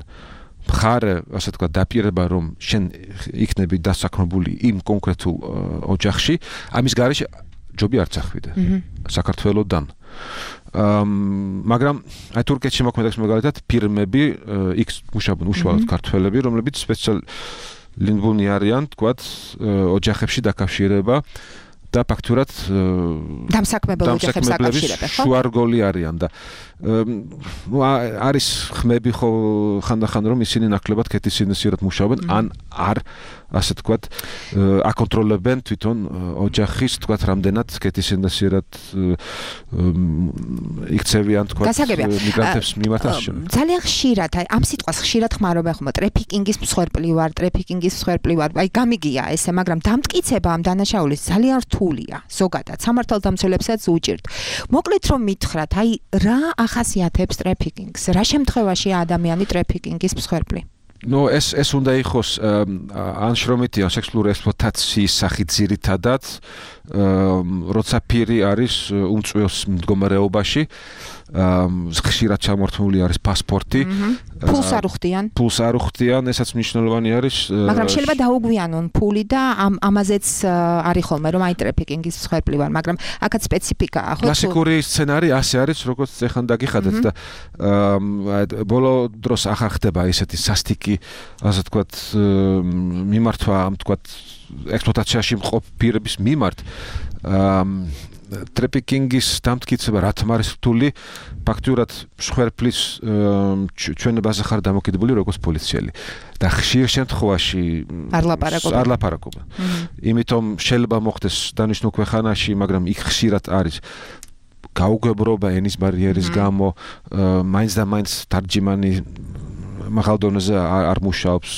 მხარე, ასე ვთქვათ, დაპირება, რომ შენ იქნები დასაქმებული იმ კონკრეტულ ოჯახში, ამის გარეშე ჯობი არც ახვიდე საქართველოდან. მაგრამ აი თურქეთში მოქმედებს მაგალითად ფირმები, იქ მუშაობენ უშუალოდ ქართველები, რომლებიც სპეციალიზებული არიან, თქვათ, ოჯახებში დაკავშირება და ფაქტურად დამსაქმებელ ოჯახებს აკავშირებენ, ხო? შუარგოლი არიან და ნუ არის ხმები ხო ხანდახან რომ ისინი ნაკლებად კეთილსინდისიერად მუშაობენ, ან არ, ასე ვთქვათ, აკონტროლებენ თვითონ ოჯახის, ვთქვათ, რამდენად კეთილსინდისიერად იქცევიან, ვთქვათ, მიგრანტებს მიმართ ასე. ძალიან ხშირად, აი ამ სიტყვას ხშირად ხმარობენ ხოლმე, ტრეფიკინგის მსხვერპლი ვარ, ტრეფიკინგის მსხვერპლი ვარ. აი გამიგია ესე, მაგრამ დამტკიცება ამ დანაშაულის ძალიან რთულია. ზოგადად სამართალდამცველებსაც უჭირთ. მოკლედ რომ მითხრათ, აი რა ახასიათებს ტრეფიკინგს? რა შემთხვევაში ადამიანი ტრეფიკინგის მსხვერპლი? ნუ ეს ეს უნდა იყოს ან შრომითი, ან სექსუალური ექსპლუატაციის სახით ძირითადად, როცა პირი არის უმწვიოს მდგომარეობაში, ხშირად ჩამორთმული არის პასპორტი. ფულს არ უხდიან. ფულს არ უხდიან, ესაც მნიშვნელოვანი არის. მაგრამ შეიძლება დაუგვიანონ ფული და ამაზეც არის ხოლმე, რომ აი ტრეფიკინგის მსხვერპლი ვარ, მაგრამ აქაც სპეციფიკაა, ხო? კლასიკური სცენარი ასე არის, როგორც ეხან დაგიხადეთ და ბოლო დროს ახარ ხდება ესეთი სასტიკი, ასე ვთქვათ, მიმართვა, ამ ვთქვათ, ექსპლუატაციაში მყოფ პირების მიმართ. ტრეფიკინგის დამტკიცება რა თქმა არის რთული, ფაქტურად მსხვერპლის ჩვენებაზე ხარ დამოკიდებული როგორც პოლიციელი და ხშირ შემთხვევაში არ ლაპარაკობენ. არ ლაპარაკობენ. იმიტომ შეიძლება მოხდეს დანიშნულ ქვეყანაში, მაგრამ იქ ხშირად არის გაუგებრობა ენის ბარიერის გამო, მაინც და მაინც თარჯიმანი მაღალ დონეზე არ მუშაობს.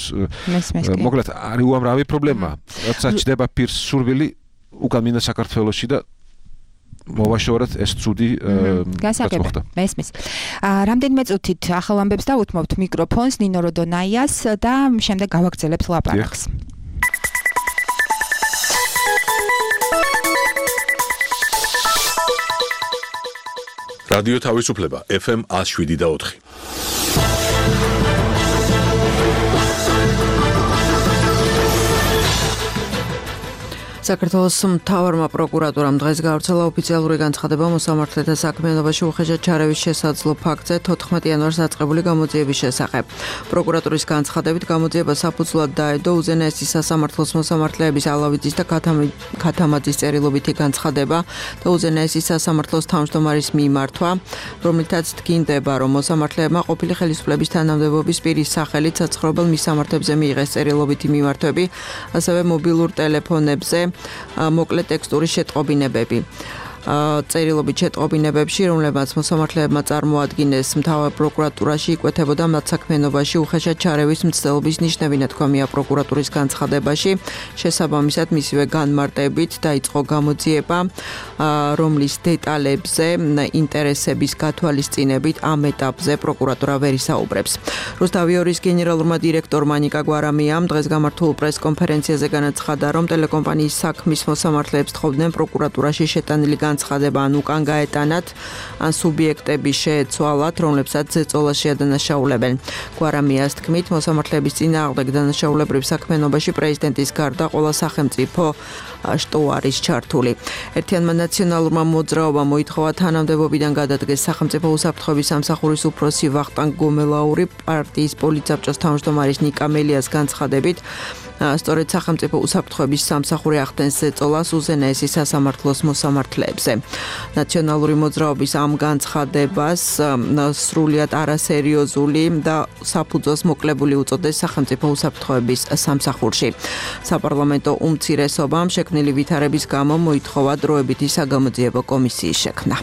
მოკლედ არის უამრავი პრობლემა. როცა ჩდება პირს სურვილი უკან მინდა საქართველოში და მოვაშორეთ ეს ცუდი გასაგები. მესმის. რამდენიმე წუთით ახალ ამბებს დავუთმობთ მიკროფონს ნინო როდონაიას და შემდეგ გავაგრძელებთ ლაპარაკს. რადიო თავისუფლება ეფ ემ ათს შვიდი და ოთხი. საქართველოს მთავარმა პროკურატურამ დღეს გავრცელა ოფიციალური განცხადება მოსამართლეთა საქმიანობაში უხეშად ჩარევის შესაძლო ფაქტზე თოთხმეტ იანვარს დაწყებული გამოძიების შესახებ. პროკურატურის განცხადებით გამოძიება საფუძვლად დაედო უზენაესი სასამართლოს მოსამართლეების ალავიძის და ქათამაძის წერილობითი განცხადება და უზენაესი სასამართლოს თავმჯდომარის მიმართვა, რომლითაც დგინდება, რომ მოსამართლეებმა ყოფილი ხელისუფლების თანამდებობის პირის სახელით საცხოვრებელ მისამართებზე მიიღეს წერილობითი მიმართვები, ასევე მობილურ ტელეფონებზე მოკლე ტექსტური შეტყობინებები. წერილობით შეტყობინებებში, რომლებმაც მოსამართლეებმა წარმოადგინეს მთავარ პროკურატურაში იკვეთებოდა მათ საქმიანობაში უხეშად ჩარევის მცდელობის ნიშნები, ნათქვამია პროკურატურის განცხადებაში. შესაბამისად, მისივე განმარტებით დაიწყო გამოძიება, რომლის დეტალებზე ინტერესების გათვალისწინებით ამ ეტაპზე პროკურატურა ვერ ისაუბრებს. რუსთავი ორის გენერალურმა დირექტორმა ნიკა გვარამიამ დღეს გამართულ პრესკონფერენციაზე განაცხადა, რომ ტელეკომპანიის საქმის მოსამართლეებს თხოვდნენ პროკურატურაში შეტანილი განცხადება ან უკან გაეტანათ, ან სუბიექტები შეეცვალათ, რომლებსაც ზეწოლა შეადანაშაულებენ. გვარამიას თქმით, მოსამართლეების წინააღმდეგ დანაშაულებრივ საქმიანობაში პრეზიდენტის გარდა ყველა სახელმწიფო შტო არის ჩართული. ერთიანმა ნაციონალურმა მოძრაობამ მოითხოვა თანამდებობიდან გადადგეს სახელმწიფო უსაფრთხოების სამსახურის უფროსი ვახტანგ გომელაური პარტიის პოლიტსაბჭოს თავმჯდომარის ნიკა მელიას განცხადებით, სწორედ სახელმწიფო უსაფრთხოების სამსახური ახდენს ზეწოლას უზენაესი სასამართლოს მოსამართლეებზე. ნაციონალური მოძრაობის ამ განცხადებას სრულიად არასერიოზული და საფუძველს მოკლებული უწოდეს სახელმწიფო უსაფრთხოების სამსახურში. საპარლამენტო უმცირესობამ შექმნილი ვითარების გამო მოითხოვა დროებითი საგამოძიებო კომისიის შექმნა.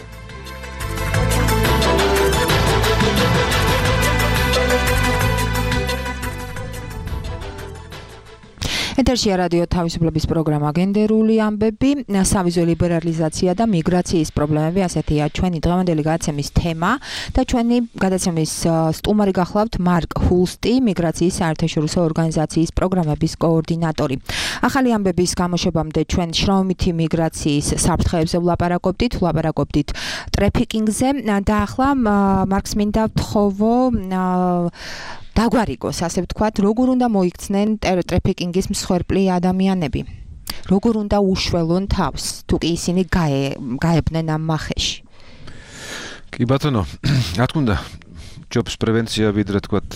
ეთერშია რადიო თავისუფლების პროგრამა გენდერული ამბები, სავიზო ლიბერალიზაცია და მიგრაციის პრობლემები, ასეთია ჩვენი დღევანდელი გადაცემის თემა და ჩვენი გადაცემის სტუმარი გახლავთ მარკ ჰულსტი, მიგრაციის საერთაშორისო ორგანიზაციის პროგრამების კოორდინატორი. ახალი ამბების გამოშვებამდე ჩვენ შრომითი მიგრაციის საფრთხეებზე ვლაპარაკობდით, ვლაპარაკობდით ტრეფიკინგზე და ახლა მარკს მინდა ვთხოვო დაგვარიგოს, ასე ვთქვათ, როგორ უნდა მოიქცნენ ტრეფიკინგის მსხვერპლი ადამიანები. როგორ უნდა უშველონ თავს, თუ კი ისინი გაებნენ ამ მახეში. კი ბატონო, რა თქმა უნდა, ჯობს პრევენცია ვიდრე თქვათ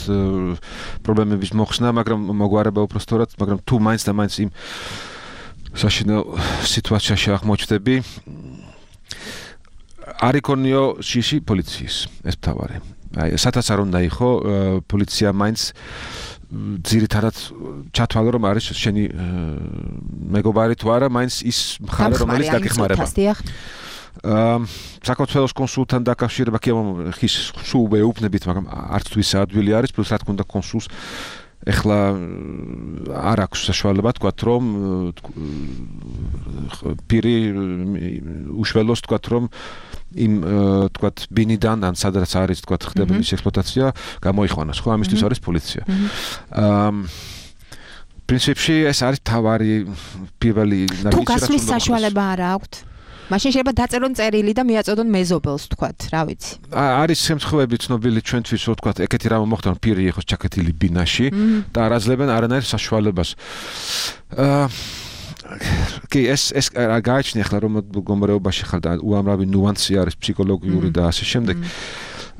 პრობლემების მოხსნა, მაგრამ მოგვარება უფრო სწორად, მაგრამ თუ მაინც და მაინც იმ საშინო სიტუაციაში აღმოჩნდები, არ იქონიო შიში პოლიციის ეს მთავარი. აი, სადაც არ უნდა იყო, პოლიცია მაინც ძირითადად ჩათვალე, რომ არის შენი მეგობარი თუ არა, მაინც ის მხარე, რომელიც დაგეხმარება. აა საქართველოს კონსულთან დაკავშირება კი ხის სულ ვეუბნებით, მაგრამ არც თუ ის ადვილი არის, პლუს რა თქმა უნდა კონსულს ეხლა არ აქვს საშუალება თქვათ, რომ პირი უშველოს თქვათ, რომ იმ თქვათ ბინიდან ან სადაც არის თქვათ ხდება ის ექსპლუატაცია გამოიყვანოს, ხო, ამისთვის არის პოლიცია. აა პრინციპში ეს არის თავარი პირველი ნაბიჯი, თუ გასვლის საშუალება არ აქვთ, მაშინ შეიძლება დაწერონ წერილი და მიაწოდონ მეზობელს, თქვათ, რა ვიცი. არის შემთხვევები ცნობილი ჩვენთვის, რომ თქვათ, ეგეთი რამე მოხდა, რომ პირი იყოს ჩაკეტილი ბინაში და არ აძლევენ არანაირ საშუალებას. აა კი, ეს ეს გააჩნია ახლა რომ მდგომარეობაში ხარ და უამრავი ნუანსი არის ფსიქოლოგიური და ასე შემდეგ.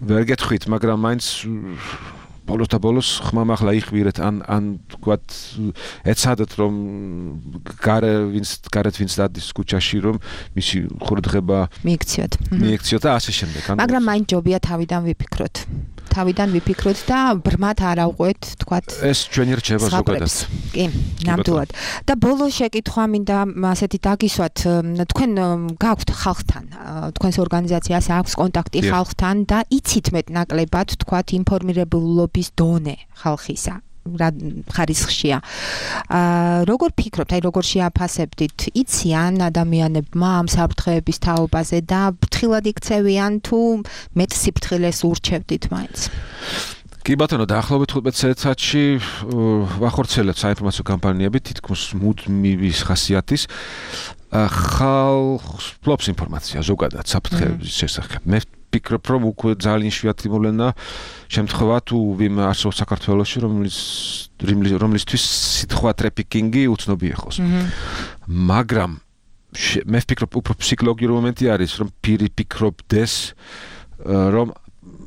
ვერ გეტყვით, მაგრამ მაინც ბოლოს და ბოლოს ხმამ ახლა იხვირეთ ან ან თქვათ ეცადეთ რომ გარე ვინც გარეთ ვინც დადის ქუჩაში რომ მისი ხურდღება მიიქციოთ. მიიქციოთ და ასე შემდეგ. მაგრამ მაინც ჯობია თავიდან ვიფიქროთ. თავიდან ვიფიქროთ და ბრმად არ ავყვეთ, თქვათ. ეს ჩვენი რჩება ზოგადად. კი, ნამდვილად. და ბოლოს შეკითხვა მინდა ასეთი დაგისვათ, თქვენ გაქვთ ხალხთან, თქვენს ორგანიზაციას აქვს კონტაქტი ხალხთან და იცით მეტნაკლებად, თქვათ, ინფორმირებულობის დონე ხალხისა. რა ხარისხშია. აა როგორ ფიქრობთ, აი როგორ შეაფასებდით, იციან ადამიანებმა ამ საფრთხეების თაობაზე და ფრთხილად იქცევიან თუ მეტ სიფრთხილეს ურჩევდით მაინც? კი ბატონო, დაახლოებით თხუთმეტ წელიწადში ვახორციელებთ საინფორმაციო კამპანიები თითქმის მუდმივის ხასიათის ხალხს ფლობს ინფორმაცია ზოგადად საფრთხეების შესახებ. მე ვფიქრობ, რომ უკვე ძალიან იშვიათი მოვლენა შემთხვევა თუ ვინმე არსებობს საქართველოში, რომლის რომლისთვის სიტყვა ტრაფიკინგი უცნობი ეხოს. მაგრამ მე ვფიქრობ, უფრო ფსიქოლოგიური მომენტი არის, რომ პირი ფიქრობდეს, რომ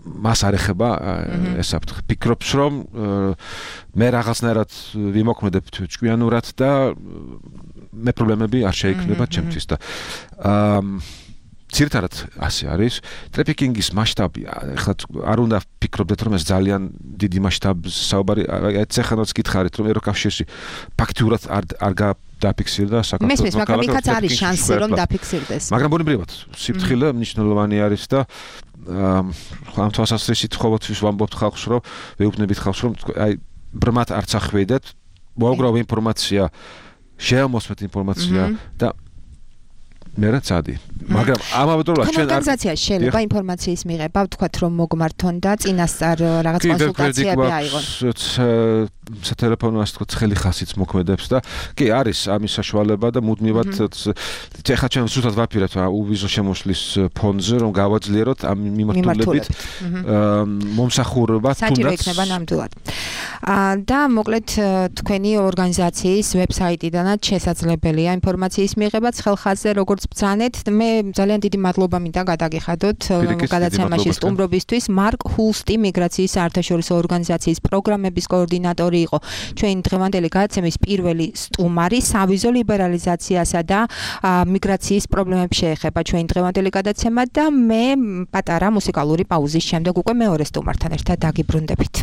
მას არ ეხება ეს საფრთხე. ფიქრობს, რომ მე რაღაცნაირად ვიმოქმედებ ჭკვიანურად და მე პრობლემები არ შეექმნება ჩემთვის და აა ძირითადად ასე არის. ტრაფიკინგის მასშტაბი, ეხლა არ უნდა ფიქრობდეთ, რომ ეს ძალიან დიდი მასშტაბის საუბარი, ეს ახანაც გითხარით, რომ ევროკავშირში ფაქტიურად არ არ დაფიქსირდა საქართველოს. მესმის, მაგრამ იქაც არის შანსი, რომ დაფიქსირდეს. მაგრამ ბუნებრივად, სიფრთხილე მნიშვნელოვანი არის და ამ თვალსაზრისით ყოველთვის ვამბობთ ხალხს, რომ ვეუბნებით ხალხს, რომ აი ბრმად არც ახვედეთ, მოუგრავ ინფორმაცია, შეამოსმეთ ინფორმაცია და მე რა წადი. მაგრამ ამავე დროს ჩვენ ორგანიზაციაში შეიძლება ინფორმაციის მიღება, ვთქვათ, რომ მოგმართონ და წინასწარ რაღაც კონსულტაციები აიღონ. სატელეფონო ასე ვთქვათ, ხელი ხასიც მოქმედებს და კი არის ამის საშუალება და მუდმივად ეხლა ჩვენ ზუსტად ვაპირებთ უვიზო შემოსვლის ფონდზე, რომ გავაძლიეროთ ამ მიმართულებით მომსახურება თუნდაც საჭირო იქნება ნამდვილად. და მოკლედ თქვენი ორგანიზაციის ვებსაიტიდანაც შესაძლებელია ინფორმაციის მიღება ცხელხაზზე, როგორც ბრძანეთ. მე ძალიან დიდი მადლობა მინდა გადაგიხადოთ გადაცემაში სტუმრობისთვის. მარკ ჰულსტი მიგრაციის საერთაშორისო ორგანიზაციის პროგრამების კოორდინატორი იყო ჩვენ დღევანდელი გადაცემის პირველი სტუმარი. სავიზო ლიბერალიზაციასა და მიგრაციის პრობლემებს შეეხება ჩვენ დღევანდელი გადაცემა და მე პატარა მუსიკალური პაუზის შემდეგ უკვე მეორე სტუმართან ერთად დაგიბრუნდებით.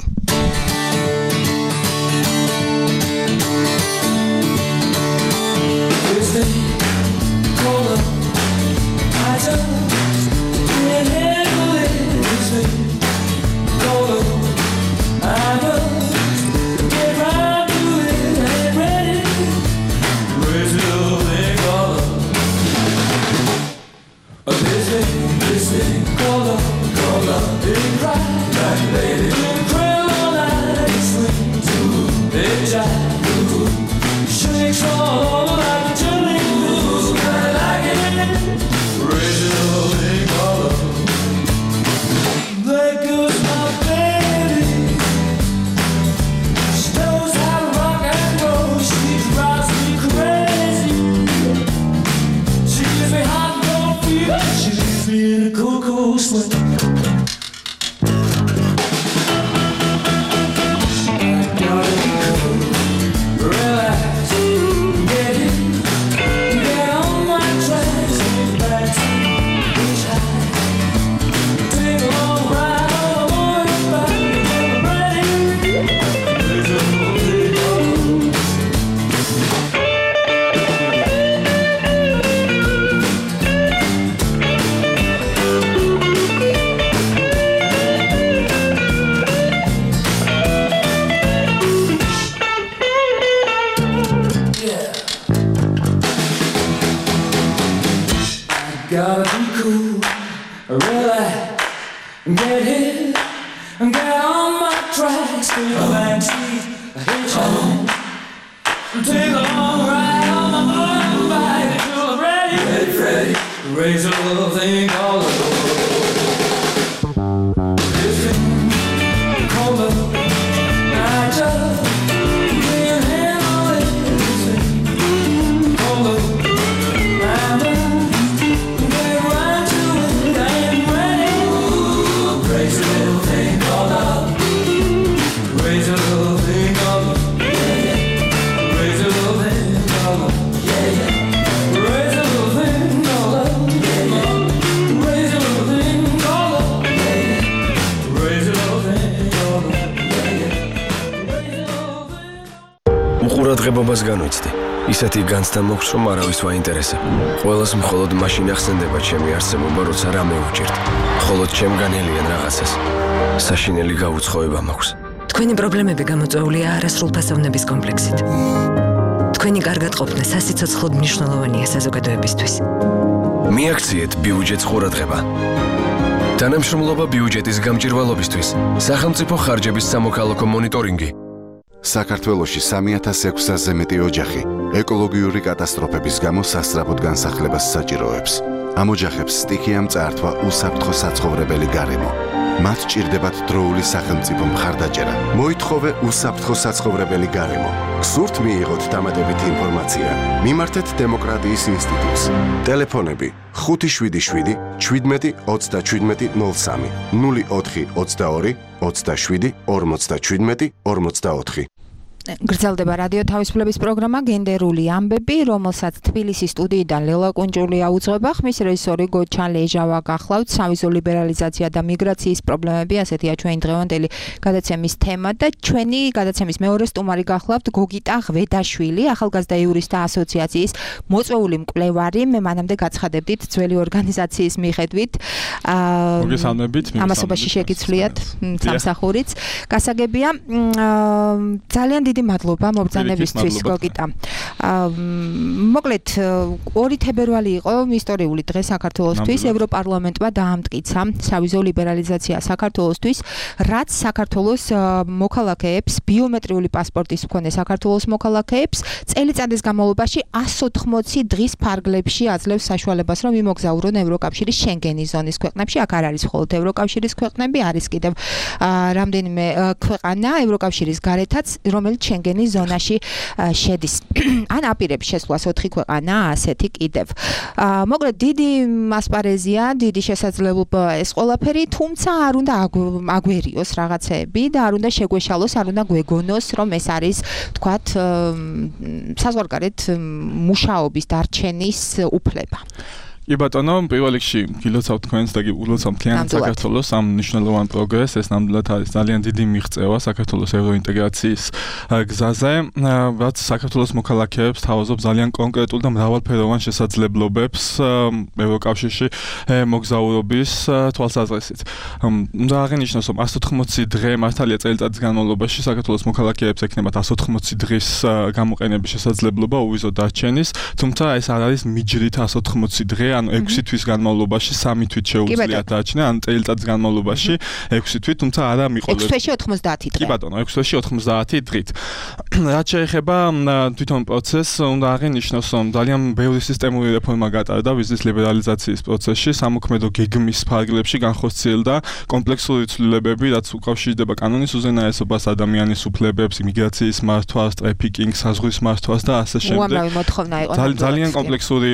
ყურადღებობას განვიცდი. ისეთი განცდა მოქვს, რომ არავის ვაინტერესებ. ყველას მხოლოდ მაშინ ახსენდება ჩემი არსებობა, როცა რამე უჭირთ. მხოლოდ ჩემგან ელიან რაღაცას. საშინელი გაუცხოება მაქვს. თქვენი პრობლემები გამოწვეულია არასრულფასოვნების კომპლექსით. თქვენი კარგად ყოფნა სასიცოცხლოდ მნიშვნელოვანია საზოგადოებისთვის. მიაქციეთ ბიუჯეტს ყურადღება. თანამშრომლობა ბიუჯეტის გამჭირვალობისთვის. სახელმწიფო ხარჯების სამოქალაქო მონიტორინგი. საქართველოში სამი ათას ექვსასზე მეტი ოჯახი ეკოლოგიური კატასტროფების გამო სასწრაფოდ განსახლებას საჭიროებს. ამ ოჯახებს სტიქიამ წაართვა უსაფრთხო საცხოვრებელი გარემო. მათ ჭირდებათ დროული სახელმწიფო მხარდაჭერა. მოითხოვე უსაფრთხო საცხოვრებელი გარემო. გსურთ მიიღოთ დამატებითი ინფორმაცია? მიმართეთ დემოკრატიის ინსტიტუტს. ტელეფონები ხუთი შვიდი შვიდი შვიდმეტი ოცდაშვიდმეტი ნულ სამი ნული ოთხი ოცდაორი ოცდაშვიდი ორმოცდაშვიდმეტი ორმოცდაოთხი. გრძელდება რადიო თავისუფლების პროგრამა გენდერული ამბები, რომელსაც თბილისის სტუდიიდან ლელა კუნჭულია უძღვება. ხმის რეჟისორი გოჩა ლეჟავა გახლავთ. სავიზო ლიბერალიზაცია და მიგრაციის პრობლემები, ასეთია ჩვენი დღევანდელი გადაცემის თემა და ჩვენი გადაცემის მეორე სტუმარი გახლავთ გოგიტა ღვედაშვილი, ახალგაზრდა იურისტთა ასოციაციის მოწვეული მკვლევარი. მე მანამდე გაცხადებდით ძველი ორგანიზაციის მიხედვით. მოგესალმებით, ამასობაში შეგიცვლიათ სამსახურიც. გასაგებია, ძალიან დიდი მადლობა მობრძანებისთვის გოგიტა. მოკლედ ორი თებერვალი იყო ისტორიული დღე საქართველოსთვის. ევროპარლამენტმა დაამტკიცა სავიზო ლიბერალიზაცია საქართველოსთვის, რაც საქართველოს მოქალაქეებს, ბიომეტრიული პასპორტის მქონე საქართველოს მოქალაქეებს წელიწადის განმავლობაში εκατს ოთხმოცი დღის ფარგლებში აძლევს საშუალებას, რომ იმოგზაურონ ევროკავშირის შენგენის ზონის ქვეყნებში. აქ არ არის მხოლოდ ევროკავშირის ქვეყნები, არის კიდევ რამდენიმე ქვეყანა ევროკავშირის გარეთაც, რომელიც შენგენის ზონაში შედის. ან აპირებს შესვლას ოთხი ქვეყანა, ასეთი კიდევ. მოკლედ დიდი ასპარეზია, დიდი შესაძლებლობა ეს ყველაფერი, თუმცა არ უნდა აგვერიოს რაღაცეები და არ უნდა შეგვეშალოს, არ უნდა გვეგონოს, რომ ეს არის, თქვათ, საზღვარგარეთ მუშაობის დარჩენის უფლება. კი ბატონო, პირველ რიგში გილოცავთ თქვენს და გილოცავთ მთლიანად საქართველოს ამ მნიშვნელოვან პროგრესს. ეს ნამდვილად არის ძალიან დიდი მიღწევა საქართველოს ევროინტეგრაციის გზაზე, რაც საქართველოს მოქალაქეებს თავაზობს ძალიან კონკრეტულ და მრავალფეროვან შესაძლებლობებს ევროკავშირში მოგზაურობის თვალსაზრისით. უნდა აღინიშნოს, რომ εκατს ოთხმოცი დღე მართალია წელიწადის განმავლობაში საქართველოს მოქალაქეებს ექნებათ εκατს ოთხმოცი დღის გამოყენების შესაძლებლობა უვიზო დარჩენის, თუმცა ეს არ არის მიჯრით εκατს ოთხმოცი დღე, ანუ ექვსი თვის განმავლობაში სამი თვით შეუძლიათ დარჩენა, ან წელიწადის განმავლობაში ექვსი თვით, თუმცა არა მიყოლებს. ექვსი თვეში ოთხმოცდაათი დღე. კი ბატონო, ექვსი თვეში ოთხმოცდაათი დღით. რაც შეეხება თვითონ პროცესს, უნდა აღინიშნოს, რომ ძალიან ბევრი სისტემური რეფორმა გატარდა ვიზის ლიბერალიზაციის პროცესში, სამოქმედო გეგმის ფარგლებში განხორციელდა კომპლექსური ცვლილებები, რაც უკავშირდება კანონის უზენაესობას, ადამიანის უფლებებს, იმიგრაციის მართვას, ტრაფიკინგს, საზღვრის მართვას და ასე შემდეგ. უამრავი მოთხოვნა იყო. ძალიან კომპლექსური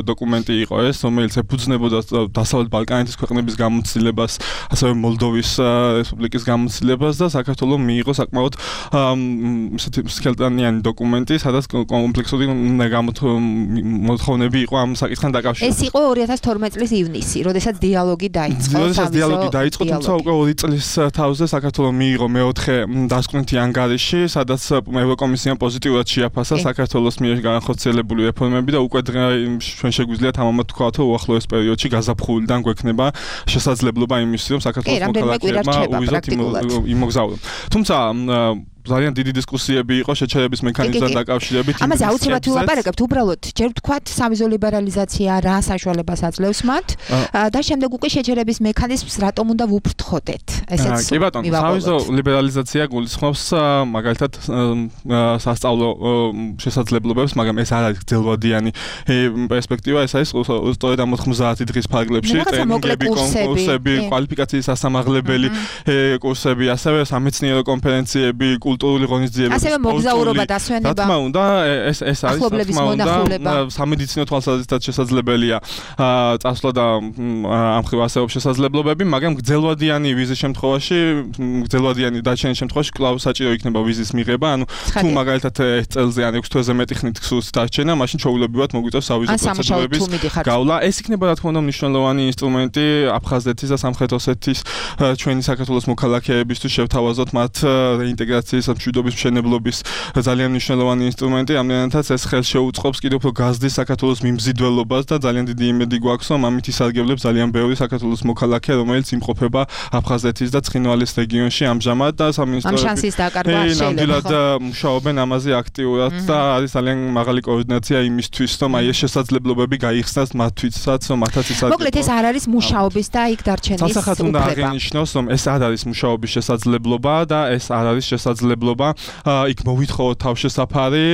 დოკუმენტი იყო ეს, რომელიც ეფუძნებოდა დასავლეთ ბალკანეთის ქვეყნების გამოცდილებას, ასევე მოლდოვის რესპუბლიკის გამოცდილებას და საქართველოს მიიღო საკმაოდ ისეთი სქელტანიანი დოკუმენტი, სადაც კომპლექსური მოთხოვნები იყო ამ საკითხთან დაკავშირებით. ეს იყო ორი ათას თორმეტი წლის ივნისი, როდესაც დიალოგი დაიწყო. როდესაც დიალოგი დაიწყო, თუმცა უკვე ორი წლის თავზე საქართველოს მიიღო მეოთხე დასკვნითი ანგარიში, სადაც ევროკომისიამ პოზიტიურად შეაფასა საქართველოს მიერ განხორციელებული რეფორმები და უკვე ჩვენ შეგვიძლია თამამად თქვათ, რომ უახლოეს პერიოდში გაზაფხულიდან გვექნება შესაძლებლობა იმისი, რომ საქართველოს მოქალაქეებმა უვიზოთ იმოგზაურონ. თუმცა ძალიან დიდი დისკუსიები იყო შეჩერების მექანიზმთან დაკავშირებით. ამაზე აუცილებლად ვილაპარაკებთ, უბრალოდ ჯერ ვთქვათ, სავიზო ლიბერალიზაცია რა საშუალებას აძლევს მათ და შემდეგ უკვე შეჩერების მექანიზმს რატომ უნდა ვუფრთხოდეთ. ესეც კი ბატონო, სავიზო ლიბერალიზაცია გულისხმობს მაგალითად სასწავლო შესაძლებლობებს, მაგრამ ეს არ არის გრძელვადიანი პერსპექტივა, ეს არის სწორედ ამ ოთხმოცდაათი დღის ფარგლებში ტრენინგები, კონკურსები, კვალიფიკაციის სასამაღლებელი კურსები, ასევე სამეცნიერო კონფერენციები, კულტურული ღონისძიებები, ასევე მოგზაურობა, დასვენება. რა თქმა უნდა, ეს ეს არის რა თქმა უნდა სამედიცინო თვალსაზრისითაც შესაძლებელია წასვლა და ამ ხრივ ასეულობ შესაძლებლობები, მაგრამ გრძელვადიანი ვიზის შემთხვევაში, გრძელვადიანი დარჩენის შემთხვევაში კვლავ საჭირო იქნება ვიზის მიღება, ანუ თუ მაგალითად ერთ წელზე ან ექვსი თვეზე მეტი ხნით გსურთ დარჩენა, მაშინ ჩვეულებრივად მოგვიწევს სავიზო პროცედურების გავლა. ეს იქნება რა თქმა უნდა მნიშვნელოვანი ინსტრუმენტი აფხაზეთის და სამხრეთ ოსეთის ჩვენი საქართველოს მოქალაქეებისთვის შევთავაზოთ მათ რეინტეგრაციის მშვიდობის მშენებლობის ძალიან მნიშვნელოვანი ინსტრუმენტი, ამიტომაც ეს ხელს შეუწყობს კიდევ უფრო გაზრდის საქართველოს მიმზიდველობას და ძალიან დიდი იმედი გვაქვს, რომ ამით ისარგებლებს ძალიან ბევრი საქართველოს მოქალაქე, რომელიც იმყოფება აფხაზეთის და ცხინვალის რეგიონში ამჟამად და სამინისტროები ნამდვილად მუშაობენ ამაზე აქტიურად და არის ძალიან მაღალი კოორდინაცია იმისთვის, რომ აი ეს შესაძლებლობები გაიხსნას მათთვისაც, რომ მათაც ისარგებლოს. მოკლედ ეს არ არის მუშაობის და იქ დარჩენის უფლება. სასახად უნდა აღინიშნოს, რომ ეს არ არის მუშაობის შესაძლებლობა და ეს არ არის შესაძლებლობა შესაძლებლობა იქ მოვითხოვოთ თავშესაფარი,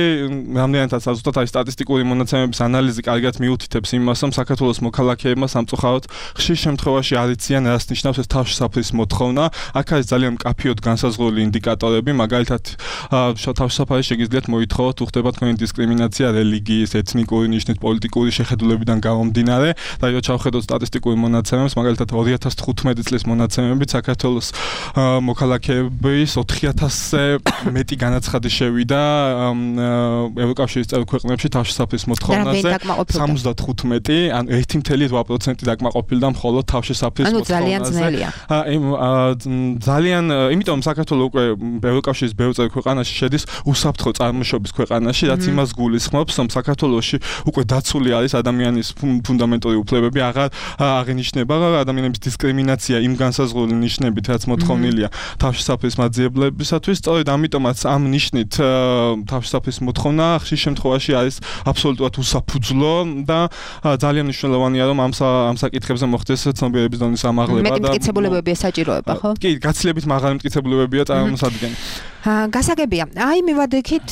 რამდენადაც ზუსტად აი სტატისტიკური მონაცემების ანალიზი კარგად მიუთითებს იმას, რომ საქართველოს მოქალაქეებმა სამწუხაროდ ხშირ შემთხვევაში არ იციან, რას ნიშნავს ეს თავშესაფრის მოთხოვნა. აქ არის ძალიან მკაფიოდ განსაზღვრული ინდიკატორები, მაგალითად თავშესაფარი შეგიძლიათ მოითხოვოთ, უხდება თქვენი დისკრიმინაცია რელიგიის, ეთნიკური ნიშნით, პოლიტიკური შეხედულებიდან გამომდინარე. და რო ჩავხედოთ სტატისტიკურ მონაცემებს, მაგალითად ორი ათას თხუთმეტი წლის მონაცემებით საქართველოს მოქალაქეების ოთხი ათასზე მეტი განაცხადი შევიდა ევროკავშირის წევრ ქვეყნებში თავშესაფრის მოთხოვნაზე სამოცდათხუთმეტი, ანუ ერთი კoma რვა პროცენტი დაკმაყოფილდა მხოლოდ თავშესაფრის მოთხოვნაზე. ანუ ძალიან ძნელია. ძალიან, იმიტომ საქართველოს უკვე ევროკავშირის ბევრ წევრ ქვეყანაში შედის უსაფრთხო წარმოშობის ქვეყანაში, რაც იმას გულისხმობს, რომ საქართველოში უკვე დაცული არის ადამიანის ფუნდამენტური უფლებები, აღარ აღინიშნება ადამიანების დისკრიმინაცია იმ განსაზღვრული ნიშნებით, რაც მოთხოვნილია თავშესაფრის მაძიებლებისათვის. სწორედ ამიტომაც ამ ნიშნით თავშესაფრის მოთხოვნა ხშირ შემთხვევაში არის აბსოლუტურად უსაფუძვლო და ძალიან მნიშვნელოვანია, რომ ამ ამ საკითხებზე მოხდეს ცნობიერების დონის ამაღლება და მეტი მტკიცებულებებია საჭიროება, ხო? კი, გაცილებით მაღალი მტკიცებულებებია წარმოსადგენი. გასაგებია. აი მივადექით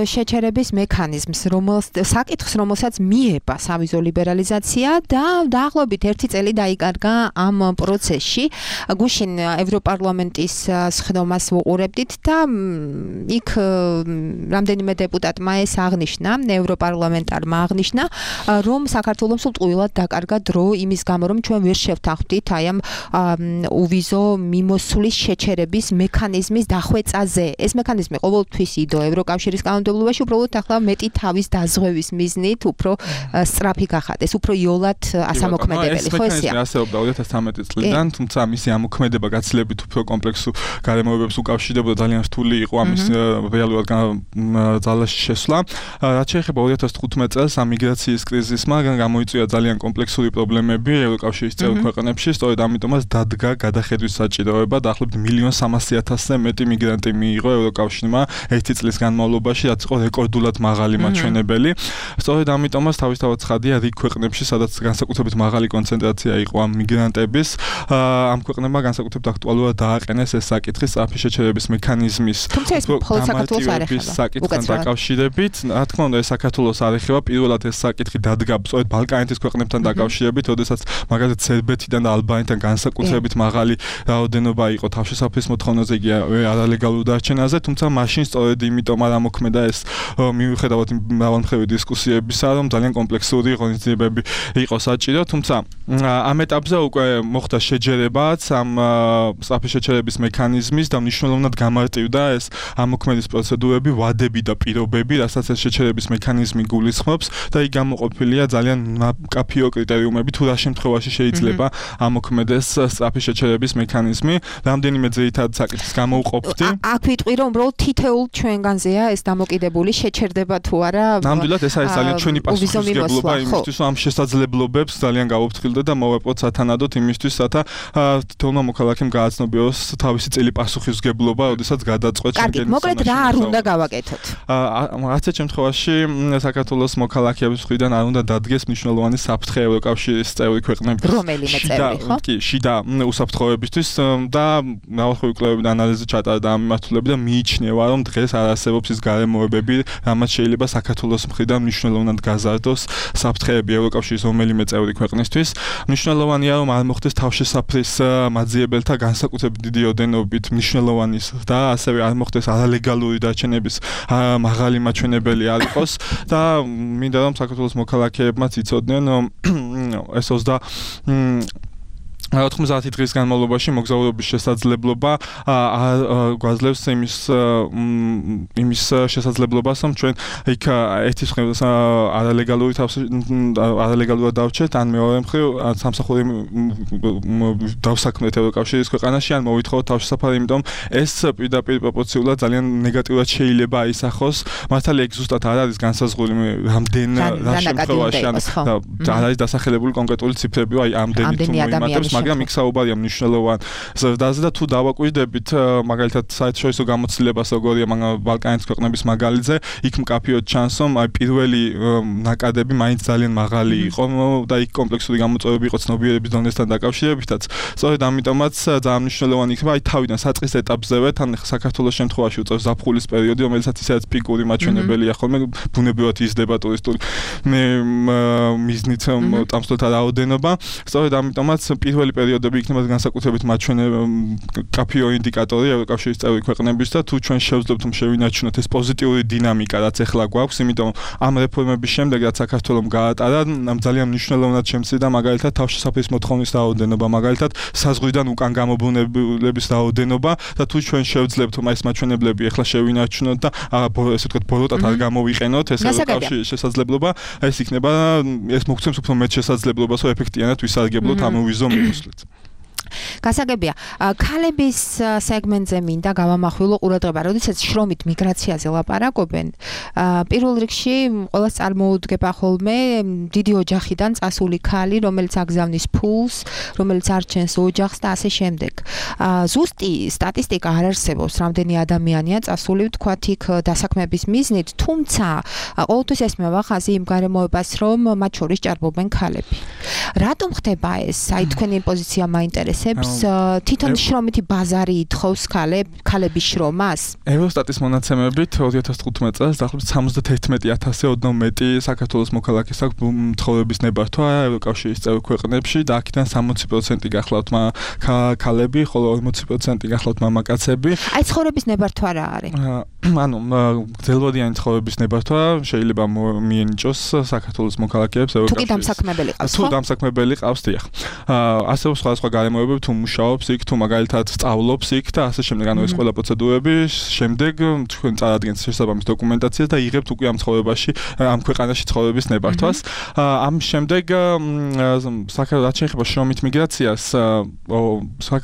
შეჩერების მექანიზმს, რომელსაც საკითხს, რომელსაც მიება სავიზო ლიბერალიზაცია და დაახლოებით ერთი წელი დაიკარგა ამ პროცესში. გუშინ ევროპარლამენტის სხდომას ვუყურებდით და იქ რამდენიმე დეპუტატმა ეს აღნიშნა, ევროპარლამენტარმა აღნიშნა, რომ საქართველოს სულ ტყუილად დაკარგა დრო იმის გამო, რომ ჩვენ ვერ შევთანხმდით აი ამ უვიზო მიმოსვლის შეჩერების მექანიზმის დახვეწაზე. ეს მექანიზმი ყოველთვის იდო ევროკავშირის კანონმდებლობაში, უბრალოდ ახლა მეტი თავის დაზღვევის მიზნით უფრო სწრაფი გახადეს, უფრო იოლად ასამოქმედებელი, ხო ესეა? ეს მექანიზმი ასეობდა ორი ათას თერთმეტი წლიდან, თუმცა მისი ამოქმედება გაცილებით უფრო კომპლექსურ გარემოებებს უკავშირდებოდა, ძალიან რთული იყო ამის რეალურად ძალაში შესვლა. რაც შეეხება ორი ათას თხუთმეტი წელს ამ მიგრაციის კრიზისმა გამოიწვია ძალიან კომპლექსური პრობლემები ევროკავშირის წევრ ქვეყნებში, სწორედ ამიტომაც დადგა გადახედვის საჭიროება, დაახლოებით მილიონ სამასი ათასზე მეტი მიგრანტი მიიღო ევროკავშირმა ერთი წლის განმავლობაში, რაც იყო რეკორდულად მაღალი მაჩვენებელი. სწორედ ამიტომაც თავისთავად ცხადია რიგ ქვეყნებში, სადაც განსაკუთრებით მაღალი კონცენტრაცია იყო ამ მიგრანტების, ამ ქვეყნებმა განსაკუთრებით აქტუალურად დააყენეს ეს საკითხი სწრაფი შეჩერების მექანიზმის გამარტივების საკითხთან დაკავშირებით. რა თქმა უნდა, ეს საქართველოს არ ეხება, პირველად ეს საკითხი დადგა სწორედ ბალკანეთის ქვეყნებთან დაკავშირებით, როდესაც მაგალითად სერბეთიდან და ალბანეთიდან განსაკუთრებით მაღალი რაოდენობა იყო თავშესაფრის მოთხოვნაზე კი არალეგალურ დარჩენაზე, თუმცა მაშინ სწორედ იმიტომ არ ამოქმედა ეს მიუხედავად მრავალმხრივი დისკუსიებისა, რომ ძალიან კომპლექსური ღონისძიებები იყო საჭირო, თუმცა ამ ეტაპზე უკვე მოხდა შეჯერებაც ამ სწრაფი შეჩერების მექანიზმის და მნიშვნელოვნად გამარტივდა ეს ამოქმედის პროცედურები, ვადები და პირობები, რასაც ეს შეჩერების მექანიზმი გულისხმობს და იქ გამოყოფილია ძალიან მკაფიო კრიტერიუმები, თუ რა შემთხვევაში შეიძლება ამოქმედეს სწრაფი შეჩერების მექანიზმი. რამდენიმე ძირითად საკითხს გამოვყოფდი. აქ ვიტყვი, რომ უბრალოდ თითოეულ ჩვენგანზეა ეს დამოკიდებული, შეჩერდება თუ არა. ნამდვილად ეს არის ძალიან ჩვენი პასუხისმგებლობა იმისთვის, რომ ამ შესაძლებლობებს ძალიან გავუფრთხილდეთ და მოვეპყროთ სათანადოდ იმისთვის, რათა თითოეულმა მოქალაქემ გააცნობიოს თავისი წელი პასუხისმგებლობა, როდესაც გადაწყვეტს შენგენის. კარგი, მოკლედ რა არ უნდა გავაკეთოთ? რაც შემთხვევაში საქართველოს მოქალაქეების მხრიდან არ უნდა დადგეს მნიშვნელოვანი საფრთხე ევროკავშირის წევრი ქვეყნების რომელიმე წევრი, ხო? კი, შიდა უსაფრთხოებისთვის და მრავალმხრივი კვლევები და ანალიზი ჩატარდა ამ მიმართულებით და მიიჩნევა, რომ დღეს არ არსებობს ის გარემოებები, რამაც შეიძლება საქართველოს მხრიდან მნიშვნელოვნად გაზარდოს საფრთხეები ევროკავშირის რომელიმე წევრი ქვეყნისთვის. მნიშვნელოვანია, რომ არ მოხდეს თავშესაფრის მაძიებელთა განსაკუთრებით დიდი ოდენობით მნიშვნელოვანი და ასევე არ მოხდეს არალეგალური დარჩენების მაღალი მაჩვენებელი არ იყოს და მინდა რომ საქართველოს მოქალაქეებმაც იცოდნენ, რომ ეს ოცდა ოთხმოცდაათი დღის განმავლობაში მოგზაურობის შესაძლებლობა გვაძლევს იმის იმის შესაძლებლობას, რომ ჩვენ იქ ერთის მხრივ არალეგალური არალეგალურად დავჩეთ, ან მეორე მხრივ სამსახური დავსაქმეთ ევროკავშირის ქვეყანაში, ან მოვითხოვოთ თავშესაფარი, იმიტომ ეს პირდაპირ პროპორციულად ძალიან ნეგატიურად შეიძლება აისახოს. მართალია იქ ზუსტად არ არის განსაზღვრული რამდენ რა შემთხვევაში, ან არ არის დასახელებული კონკრეტული ციფრები, აი ამდენი თუ მოიმატებს, მაგრამ იქ საუბარია მნიშვნელოვან ზრდაზე და თუ დავაკვირდებით მაგალითად საერთაშორისო გამოცდილებას როგორია ბალკანეთის ქვეყნების მაგალითზე, იქ მკაფიოდ ჩანს, რომ აი პირველი ნაკადები მაინც ძალიან მაღალი იყო და იქ კომპლექსური გამოწვევები იყო ცნობიერების დონესთან დაკავშირებითაც. სწორედ ამიტომაც ძალიან მნიშვნელოვანი იქნება აი თავიდან საწყის ეტაპზევე, თან საქართველოს შემთხვევაში უწევს ზაფხულის პერიოდი, რომელსაც ისედაც პიკური მაჩვენებელია ხოლმე, ბუნებრივად იზრდება ტურისტული მიზნით წამსვლელთა რაოდენობა. სწორედ ამიტომაც პირველი პერიოდები იქნება განსაკუთრებით მაჩვენებელი კაფეო ინდიკატორი ევროკავშირის წევრი ქვეყნების და თუ ჩვენ შევძლებთ რომ შევინარჩუნოთ ეს პოზიტიური დინამიკა, რაც ახლა გვაქვს, იმიტომ ამ რეფორმების შემდეგ რაც საქართველოს გაატარა, ძალიან მნიშვნელოვნად შემცირდა მაგალითად თავშესაფრის მოთხოვნის რაოდენობა, მაგალითად საზღვრიდან უკან გამობრუნებლების რაოდენობა და თუ ჩვენ შევძლებთ რომ ეს მაჩვენებლები ახლა შევინარჩუნოთ და ესე ვთქვათ ბოროტად არ გამოვიყენოთ ეს ევროკავშირის შესაძლებლობა, ეს იქნება ეს მოგცემს უფრო მეტ შესაძლებლობას რომ ეფექტიანად ვისარგებლოთ ამ ვიზო მიმოსვლით. გასაგებია, ქალების სეგმენტზე მინდა გავამახვილო ყურადღება, როდესაც შრომით მიგრაციაზე ლაპარაკობენ, პირველ რიგში ყველას წარმოუდგება ხოლმე დიდი ოჯახიდან წასული ქალი, რომელიც აგზავნის ფულს, რომელიც არჩენს ოჯახს და ასე შემდეგ. ზუსტი სტატისტიკა არ არსებობს, რამდენი ადამიანია წასული ვთქვათ იქ დასაქმების მიზნით, თუმცა ყოველთვის ესმევა ხაზი იმ გარემოებას, რომ მათ შორის ჭარბობენ ქალები. რატომ ხდება ეს? აი თქვენი პოზიცია მაინტერესებს. თვითონ შრომითი ბაზარი ითხოვს ქალების შრომას? ევროსტატის მონაცემებით ორი ათას თხუთმეტ წელს დაახლოებით სამოცდათერთმეტი ათასზე ოდნავ მეტი საქართველოს მოქალაქეს აქვს მცხოვრების ნებართვა ევროკავშირის წევრ ქვეყნებში და აქედან სამოცი პროცენტი გახლავთ ქალები, ხოლო ორმოცი პროცენტი გახლავთ მამაკაცები. აი ცხოვრების ნებართვა რა არის? ანუ გრძელვადიანი ცხოვრების ნებართვა შეიძლება მიენიჭოს საქართველოს მოქალაქეებს ევროკავშირის. თუ კი დამსაქმებელი ყავს, თუ დამსაქმებელი ყავს, დიახ. ასევე სხვადასხვა გარემოებები თუ მუშაობს იქ, თუ მაგალითად სწავლობს იქ და ასე შემდეგ, ანუ ეს ყველა პროცედურები შემდეგ თქვენ წარადგენთ შესაბამის დოკუმენტაციას და იღებთ უკვე ამ ცხოვრებაში, ამ ქვეყანაში ცხოვრების ნებართვას. ამ შემდეგ საქართველოს რაც შეეხება შრომით მიგრაციას,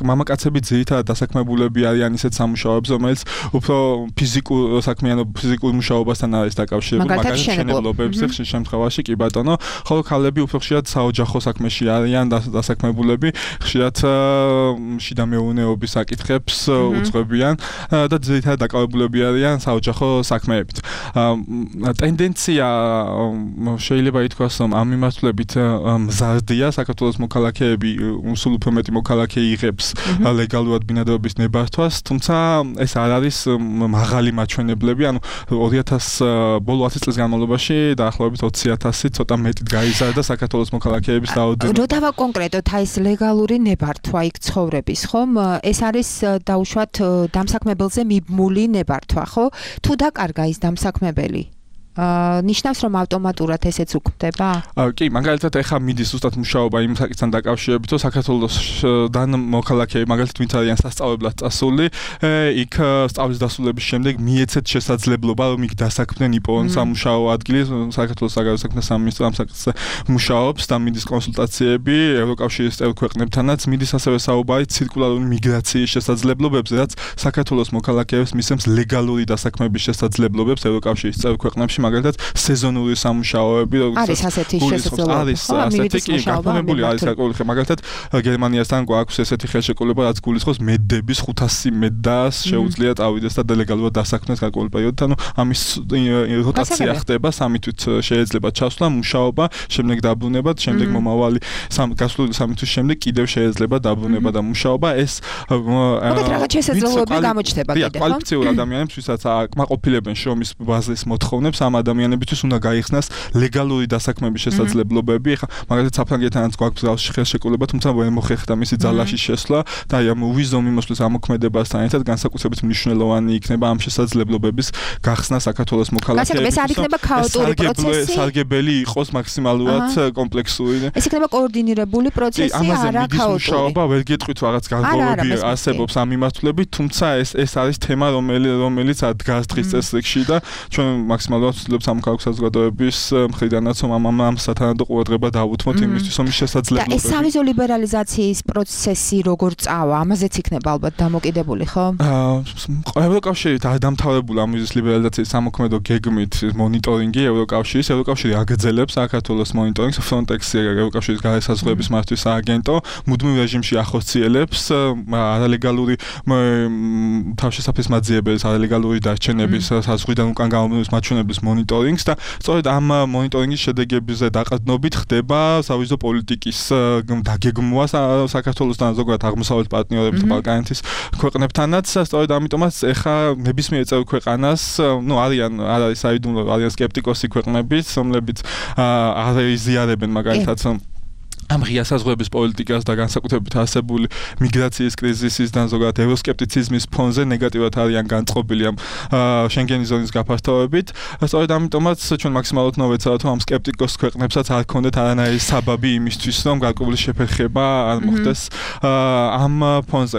მამაკაცები ძირითადად დასაქმებულები არიან ისეთ სამუშაოებს, რომელიც უფრო ფიზიკურ საქმიანობ ფიზიკურ მუშაობასთან არის დაკავშირებული, მაგალითად მშენებლობებს ხშირ შემთხვევაში კი ბატონო, ხოლო ქალები უფრო ხშირად საოჯახო საქმეში არიან დასაქმებულები, ხშირად შიდა მეურნეობის საკითხებს უძღვებიან და ძირითადად დაკავებულები არიან საოჯახო საქმეებით. ტენდენცია შეიძლება ითქვას, რომ ამ მიმართულებით მზარდია, საქართველოს მოქალაქეები სულ უფრო მეტი მოქალაქე იღებს ლეგალურად ბინადრობის ნებართვას, თუმცა ეს არ არის მაღალი მაჩვენებლები, ანუ ორი ათას ბოლო ათი წლის განმავლობაში დაახლოებით ოცი ათასი ცოტა მეტით გაიზარდა საქართველოს მოქალაქეების რაოდენობა. რო დავაკონკრეტოთ აი ეს ლეგალური ნებართვა იქ ცხოვრების, ხომ? ეს არის დაუშვათ დამსაქმებელზე მიბმული ნებართვა, ხო? თუ დაკარგა ის დამსაქმებელი, ნიშნავს რომ ავტომატურად ესეც უქმდება? კი, მაგალითად ეხა მიდის ზუსტად მუშაობა იმ საკითხთან დაკავშირებით, რომ საქართველოსდან მოქალაქეები მაგალითად ვინც არიან სასწავლებლად წასული, იქ სწავლის დასრულების შემდეგ მიეცეთ შესაძლებლობა, რომ იქ დასაქმდნენ იპოვონ სამუშაო ადგილი, საქართველოს საგარეო საქმეთა სამინისტრო ამ საკითხზე მუშაობს და მიდის კონსულტაციები ევროკავშირის წევრ ქვეყნებთანაც, მიდის ასევე საუბარი ცირკულარული მიგრაციის შესაძლებლობებზე, რაც საქართველოს მოქალაქეებს მისცემს ლეგალური დასაქმების შესაძლებლობებს ევროკავშირის წევრ ქვეყნებში. მაგალითად სეზონური სამუშაოები არის ასეთი შესაძლებლობა. არის ასეთი კი გაფორმებული არის საკუთრივ მაგალითად გერმანიასთან გვაქვს ესეთი ხელშეკრულება, რაც გულისხმობს მედდების ხუთასი მედდას შეუძლია წავიდეს და დელეგალურად დასაქმდეს გარკვეულ პერიოდით, ანუ ამის როტაცია ხდება, სამი თვით შეიძლება ჩასვლა, მუშაობა, შემდეგ დაბრუნება, შემდეგ მომავალი გასული სამი თვის შემდეგ კიდევ შეიძლება დაბრუნება და მუშაობა. ეს მოგეთ რაღაც შესაძლებლობები გამოჩნდება კიდე, ხო? კვალიფიციურ ადამიანებს, ვისაც აკმაყოფილებენ შრომის ბაზრის მოთხოვნებს, ამ ადამიანებისთვის უნდა გაიხსნას ლეგალური დასაქმების შესაძლებლობები. ეხლა მაგალითად საფრანგეთთანაც გვაქვს ხელშეკრულება, თუმცა ვერ მოხერხდა მისი ძალაში შესვლა და აი ამ ვიზო მიმოსვლის ამოქმედებასთან ერთად განსაკუთრებით მნიშვნელოვანი იქნება ამ შესაძლებლობების გახსნა საქართველოს მოქალაქეებისთვის. ეს არ იქნება ქაოტური პროცესი? სარგებელი იყოს მაქსიმალურად კომპლექსური. ეს იქნება კოორდინირებული პროცესი, არა ქაოტური. მუშაობა ვერ გეტყვით რაღაც განსხვავებები არსებობს ამ მიმართულებით, თუმცა ეს ეს არის თემა, რომელიც რომელიც დგას დღის წესრიგში და ჩვენ მაქსიმალურად ვცდილობთ სამოქალაქო საზოგადოების მხრიდანაც ამ ამ სათანადო ყურადღება დავუთმოთ იმისთვის, რომ შესაძლებლობა. და ეს სავიზო ლიბერალიზაციის პროცესი როგორ წავა? ამაზეც იქნება ალბათ დამოკიდებული, ხო? აა ევროკავშირი დამთავრებული ამ ვიზის ლიბერალიზაციის სამოქმედო გეგმით მონიტორინგი ევროკავშირის ევროკავშირი აგრძელებს საქართველოს მონიტორინგს, Frontex-ი ევროკავშირის გარესაზღვრების მართვის სააგენტო მუდმივ რეჟიმში ახორციელებს არალეგალური თავშესაფრის მაძიებელის არალეგალური დარჩენების საზღვრიდან უკან გამომდინარე მაჩვენებლის მონიტორინგს და სწორედ ამ მონიტორინგის შედეგებზე დაყრდნობით ხდება სავიზო პოლიტიკის დაგეგმვა საქართველოსთან ზოგადად აღმოსავლეთ პარტნიორებთან ბალკანეთის ქვეყნებთანაც სწორედ ამიტომაც ეხა ნებისმიერ წევრ ქვეყანას ნუ არიან არ არის საიდუმლო არიან სკეპტიკოსი ქვეყნებიც რომლებიც არ იზიარებენ მაგალითად ამ ღია საზღვრების პოლიტიკას და განსაკუთრებით არსებული მიგრაციის კრიზისისთან ზოგადად ევროსკეპტიციზმის ფონზე ნეგატიურად არიან განწყობილი ამ შენგენის ზონის გაფართოებით. სწორედ ამიტომაც ჩვენ მაქსიმალურად მოვეცადოთ ამ სკეპტიკოს ქვეყნებსაც არ ქონდეთ არანაირი საბაბი იმისთვის, რომ გარკვეული შეფერხება არ მოხდეს ამ ფონზე.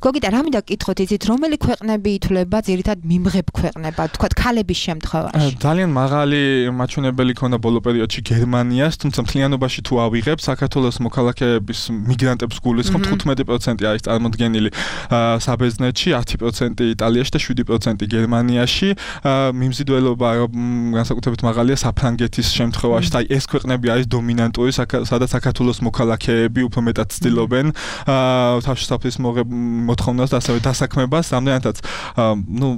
გოგიტა, რა მინდა გკითხოთ, იცით, რომელი ქვეყნები ითვლება ძირითად მიმღებ ქვეყნებად, თქვათ ქალების შემთხვევაში? ძალიან მაღალი მაჩვენებელი ქონდა ბოლო პერიოდში გერმანიას, თუმცა მთლიანობაში თუ ავიღებ საქართველოს მოქალაქეების მიგრანტებს გულისხმობ თხუთმეტი პროცენტი არის წარმოდგენილი საბერძნეთში, ათი პროცენტი იტალიაში და შვიდი პროცენტი გერმანიაში. მიმზიდველობა განსაკუთრებით მაღალია საფრანგეთის შემთხვევაში. აი ეს ქვეყნები არის დომინანტური, სადაც საქართველოს მოქალაქეები უფრო მეტად ცდილობენ თავშესაფრის მოთხოვნას და ასევე დასაქმებას, რამდენადაც ნუ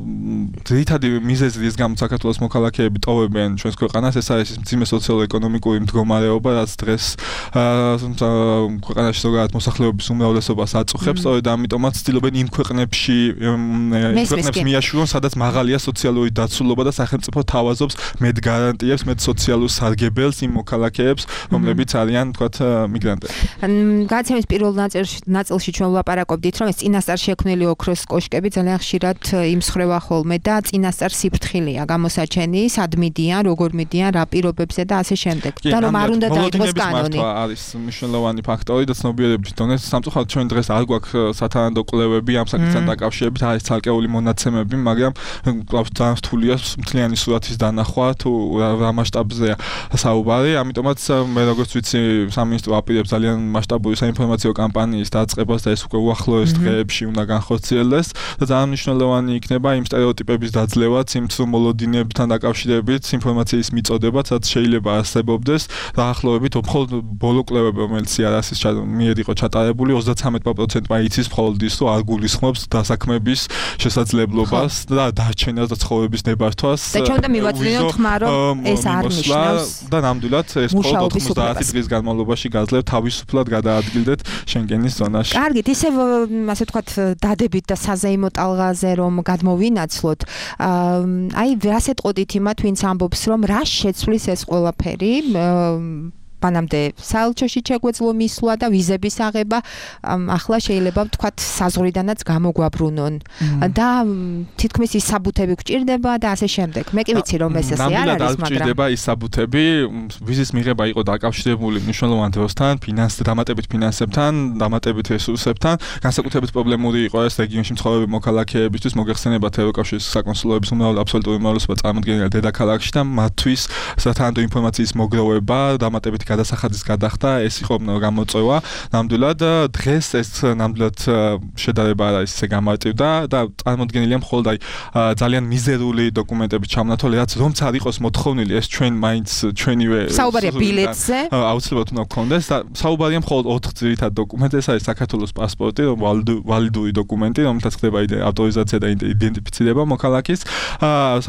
ძირითადი მიზეზი რის გამოც საქართველოს მოქალაქეები ტოვებენ ჩვენს ქვეყანას, ეს არის მძიმე სოციალურ-ეკონომიკური მდგომარეობა, რაც დღეს ქვეყანაში ზოგადად მოსახლეობის უმრავლესობას აწუხებს, სწორედ ამიტომაც ცდილობენ იმ ქვეყნებში ქვეყნებს მიაშურონ, სადაც მაღალია სოციალური დაცულობა და სახელმწიფო თავაზობს მეტ გარანტიებს, მეტ სოციალურ სარგებელს იმ მოქალაქეებს, რომლებიც არიან, თქვათ, მიგრანტები. გადაცემის პირველ ნაწილში ჩვენ ვლაპარაკობდით, რომ ეს წინასწარ შექმნილი ოქროს კოშკები ძალიან ხშირად იმსხრევა ხოლმე და წინასწარ სიფრთხილეა გამოსაჩენი, სად მიდიან, როგორ მიდიან, რა პირობებზე და ასე შემდეგ. და რომ არ უნდა დაიწყოს კანონი. არის მნიშვნელოვანი ფაქტორი და ცნობიერების დონე. სამწუხაროდ ჩვენ დღეს არ გვაქვს სათანადო კვლევები ამ საკითხთან დაკავშირებით, არის ცალკეული მონაცემები, მაგრამ კლავს ძალიან რთულია მთლიანი სურათის დანახვა თუ რა მასშტაბზეა საუბარი. ამიტომაც მე როგორც ვიცი, სამინისტრო აპირებს ძალიან მასშტაბური საინფორმაციო კამპანიის დაწყებას და ეს უკვე უახლოეს დღეებში უნდა განხორციელდეს და ძალიან მნიშვნელოვანი იქნება იმ სტერეოტიპების დაძლევაც, იმ ცრომოლოდინებთან დაკავშირებით ინფორმაციის მიწოდებაც, რაც შეიძლება არსებობდეს დაახლოებით მხოლოდ ბოლო კვლევები, რომელიც იარასის მიერ იყო ჩატარებული, ოცდათრამეტ პროცენტმა იცის მხოლოდ ის, რომ არ გულისხმობს დასაქმების შესაძლებლობას და დარჩენას და ცხოვრების ნებართვას. და ჩვენ უნდა მივაწვდინოთ ხმა, რომ ეს არ ნიშნავს და ნამდვილად ეს მხოლოდ ოცდაათი დღის განმავლობაში გაძლევთ თავისუფლად გადაადგილდეთ შენგენის ზონაში. კარგით, ისე ასე ვთქვათ, დადებით და საზეიმო ტალღაზე რომ გადმოვინაცვლოთ. აი, რას ეტყოდით იმათ, ვინც ამბობს, რომ რა შეცვლის ეს ყველაფერი? მანამდე საელჩოში შეგვეძლო მისვლა და ვიზების აღება, ახლა შეიძლება ვთქვათ საზღვრიდანაც გამოგვაბრუნონ და თითქმის ის საბუთები გვჭირდება და ასე შემდეგ. მე კი ვიცი რომ ეს ასე არ არის, მაგრამ გვჭირდება ის საბუთები, ვიზის მიღება იყო დაკავშირებული მნიშვნელოვან დროსთან, ფინანს დამატებით ფინანსებთან, დამატებით რესურსებთან, განსაკუთრებით პრობლემური იყო ეს რეგიონში მცხოვრები მოქალაქეებისთვის, მოგეხსენებათ ევროკავშირის საკონსულოების უმრავლესობა, აბსოლუტური უმრავლესობა წარმოდგენილია დედაქალაქში და მათთვის სათანადო ინფორმაციის მოგროვება, დამატებით გადასახადის გადახდა, ეს იყო გამოწვევა. ნამდვილად დღეს ეს ნამდვილად შედარება არ არის ესე გამარტივდა და წარმოდგენილია მხოლოდ აი ძალიან მიზერული დოკუმენტების ჩამონათვალი, რაც რომც არ იყოს მოთხოვნილი, ეს ჩვენ მაინც ჩვენივე საუბარია ბილეთზე. აუცილებლად უნდა გქონდეს და საუბარია მხოლოდ ოთხ ძირითად დოკუმენტზე, ეს არის საქართველოს პასპორტი, ვალიდური დოკუმენტი, რომელთაც ხდება ავტორიზაცია და იდენტიფიცირება მოქალაქის.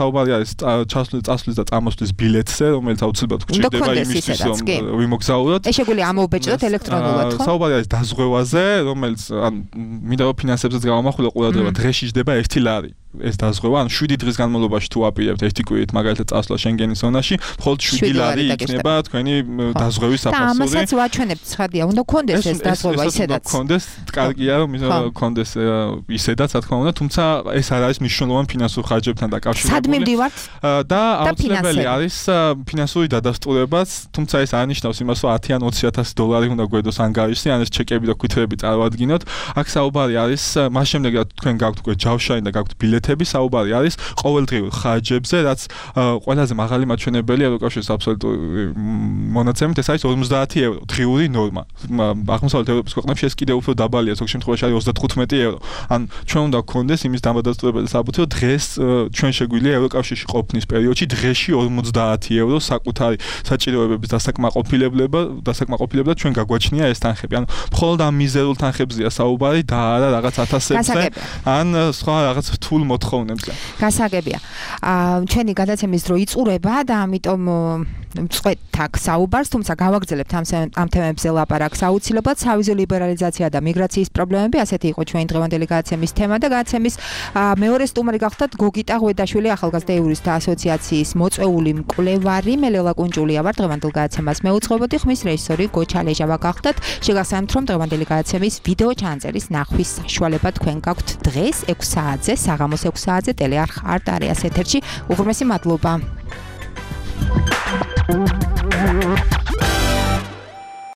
საუბარი არის წასვლის და წამოსვლის ბილეთზე, რომელიც აუცილებლად გვჭირდება იმისთვის, რომ ვიმოგზაუროთ. ეს შეგვიძლია ამოვბეჭდოთ ელექტრონულად, ხო? საუბარი არის დაზღვევაზე, რომელიც ან მინდა რომ ფინანსებზეც გამომახვილო ყურადღება, დღეში ჯდება ერთი ლარი. ეს დაზღვევა, ან შვიდი დღის განმავლობაში თუ აპირებთ ერთი კვირით მაგალითად წასვლა შენგენის ზონაში, მხოლოდ შვიდი ლარი იქნება თქვენი დაზღვევის საფასური. და ამასაც ვაჩვენებთ, ცხადია, უნდა გქონდეს ეს დაზღვევა ისედაც. უნდა გქონდეს, კარგია რომ გქონდეს ისედაც, რა თქმა უნდა, თუმცა ეს არ არის მნიშვნელოვანი ფინანსურ ხარჯებთან დაკავშირებული. სად მივდივართ? და აუცილებელი არის ფინანსური დადასტურებაც, თუმცა ეს არ ნიშნავს იმას, რომ ათი ან ოცი ათასი დოლარი უნდა გვედოს ანგარიშზე, ან ეს ჩეკები და ქვითრები წარმოადგინოთ. აქ საუბარი არის მას შემდეგ, რა თქვენ გაქვთ უკვე ჯავშანი და გაქვთ ბილეთი ბიუჯეტების საუბარი არის ყოველდღიურ ხარჯებზე, რაც ყველაზე მაღალი მაჩვენებელი ევროკავშირის აბსოლუტური მონაცემით ეს არის ორმოცდაათი ევრო დღიური ნორმა. აღმოსავლეთ ევროპის ქვეყნებში ეს კიდევ უფრო დაბალია, ზოგ შემთხვევაში არის ოცდათხუთმეტი ევრო. ან ჩვენ უნდა გქონდეს იმის დამადასტურებელი საბუთი, რომ დღეს ჩვენ შეგვიძლია ევროკავშირში ყოფნის პერიოდში დღეში ორმოცდაათი ევრო საკუთარი საჭიროებების დასაკმაყოფილებლება, დასაკმაყოფილებლად ჩვენ გაგვაჩნია ეს თანხები. ანუ მხოლოდ ამ მიზერულ თანხებზეა საუბარი და არა რაღაც ათასებზე ან სხვა რაღაც რთულ მოთხოვნებზე. გასაგებია. აა ჩვენი გადაცემის დრო იწურება და ამიტომ წვეთ აქ საუბარს, თუმცა გავაგრძელებთ ამ ამ თემებზე ლაპარაკს. აუცილებლად სავიზო ლიბერალიზაცია და მიგრაციის პრობლემები, ასეთი იყო ჩვენი დღევანდელი გადაცემის თემა და გადაცემის მეორე სტუმარი გახდათ გოგიტა ღვედაშვილი, ახალგაზრდა იურისტთა ასოციაციის მოწვეული მკვლევარი. მე ლელა კუნჭულია ვარ, დღევანდელ გადაცემას მეუძღვებოდი, ხმის რეჟისორი გოჩა ლეჟავა გახდათ. შეგახსენებთ, რომ დღევანდელი გადაცემის ვიდეო ჩანაწერის ნახვის საშუალება თქვენ გაქვთ დღეს ექვს საათზე, საღამოს ექვს საათზე ტელეარხ არტ არეას ეთერში. უღრმესი მადლობა. Thank you.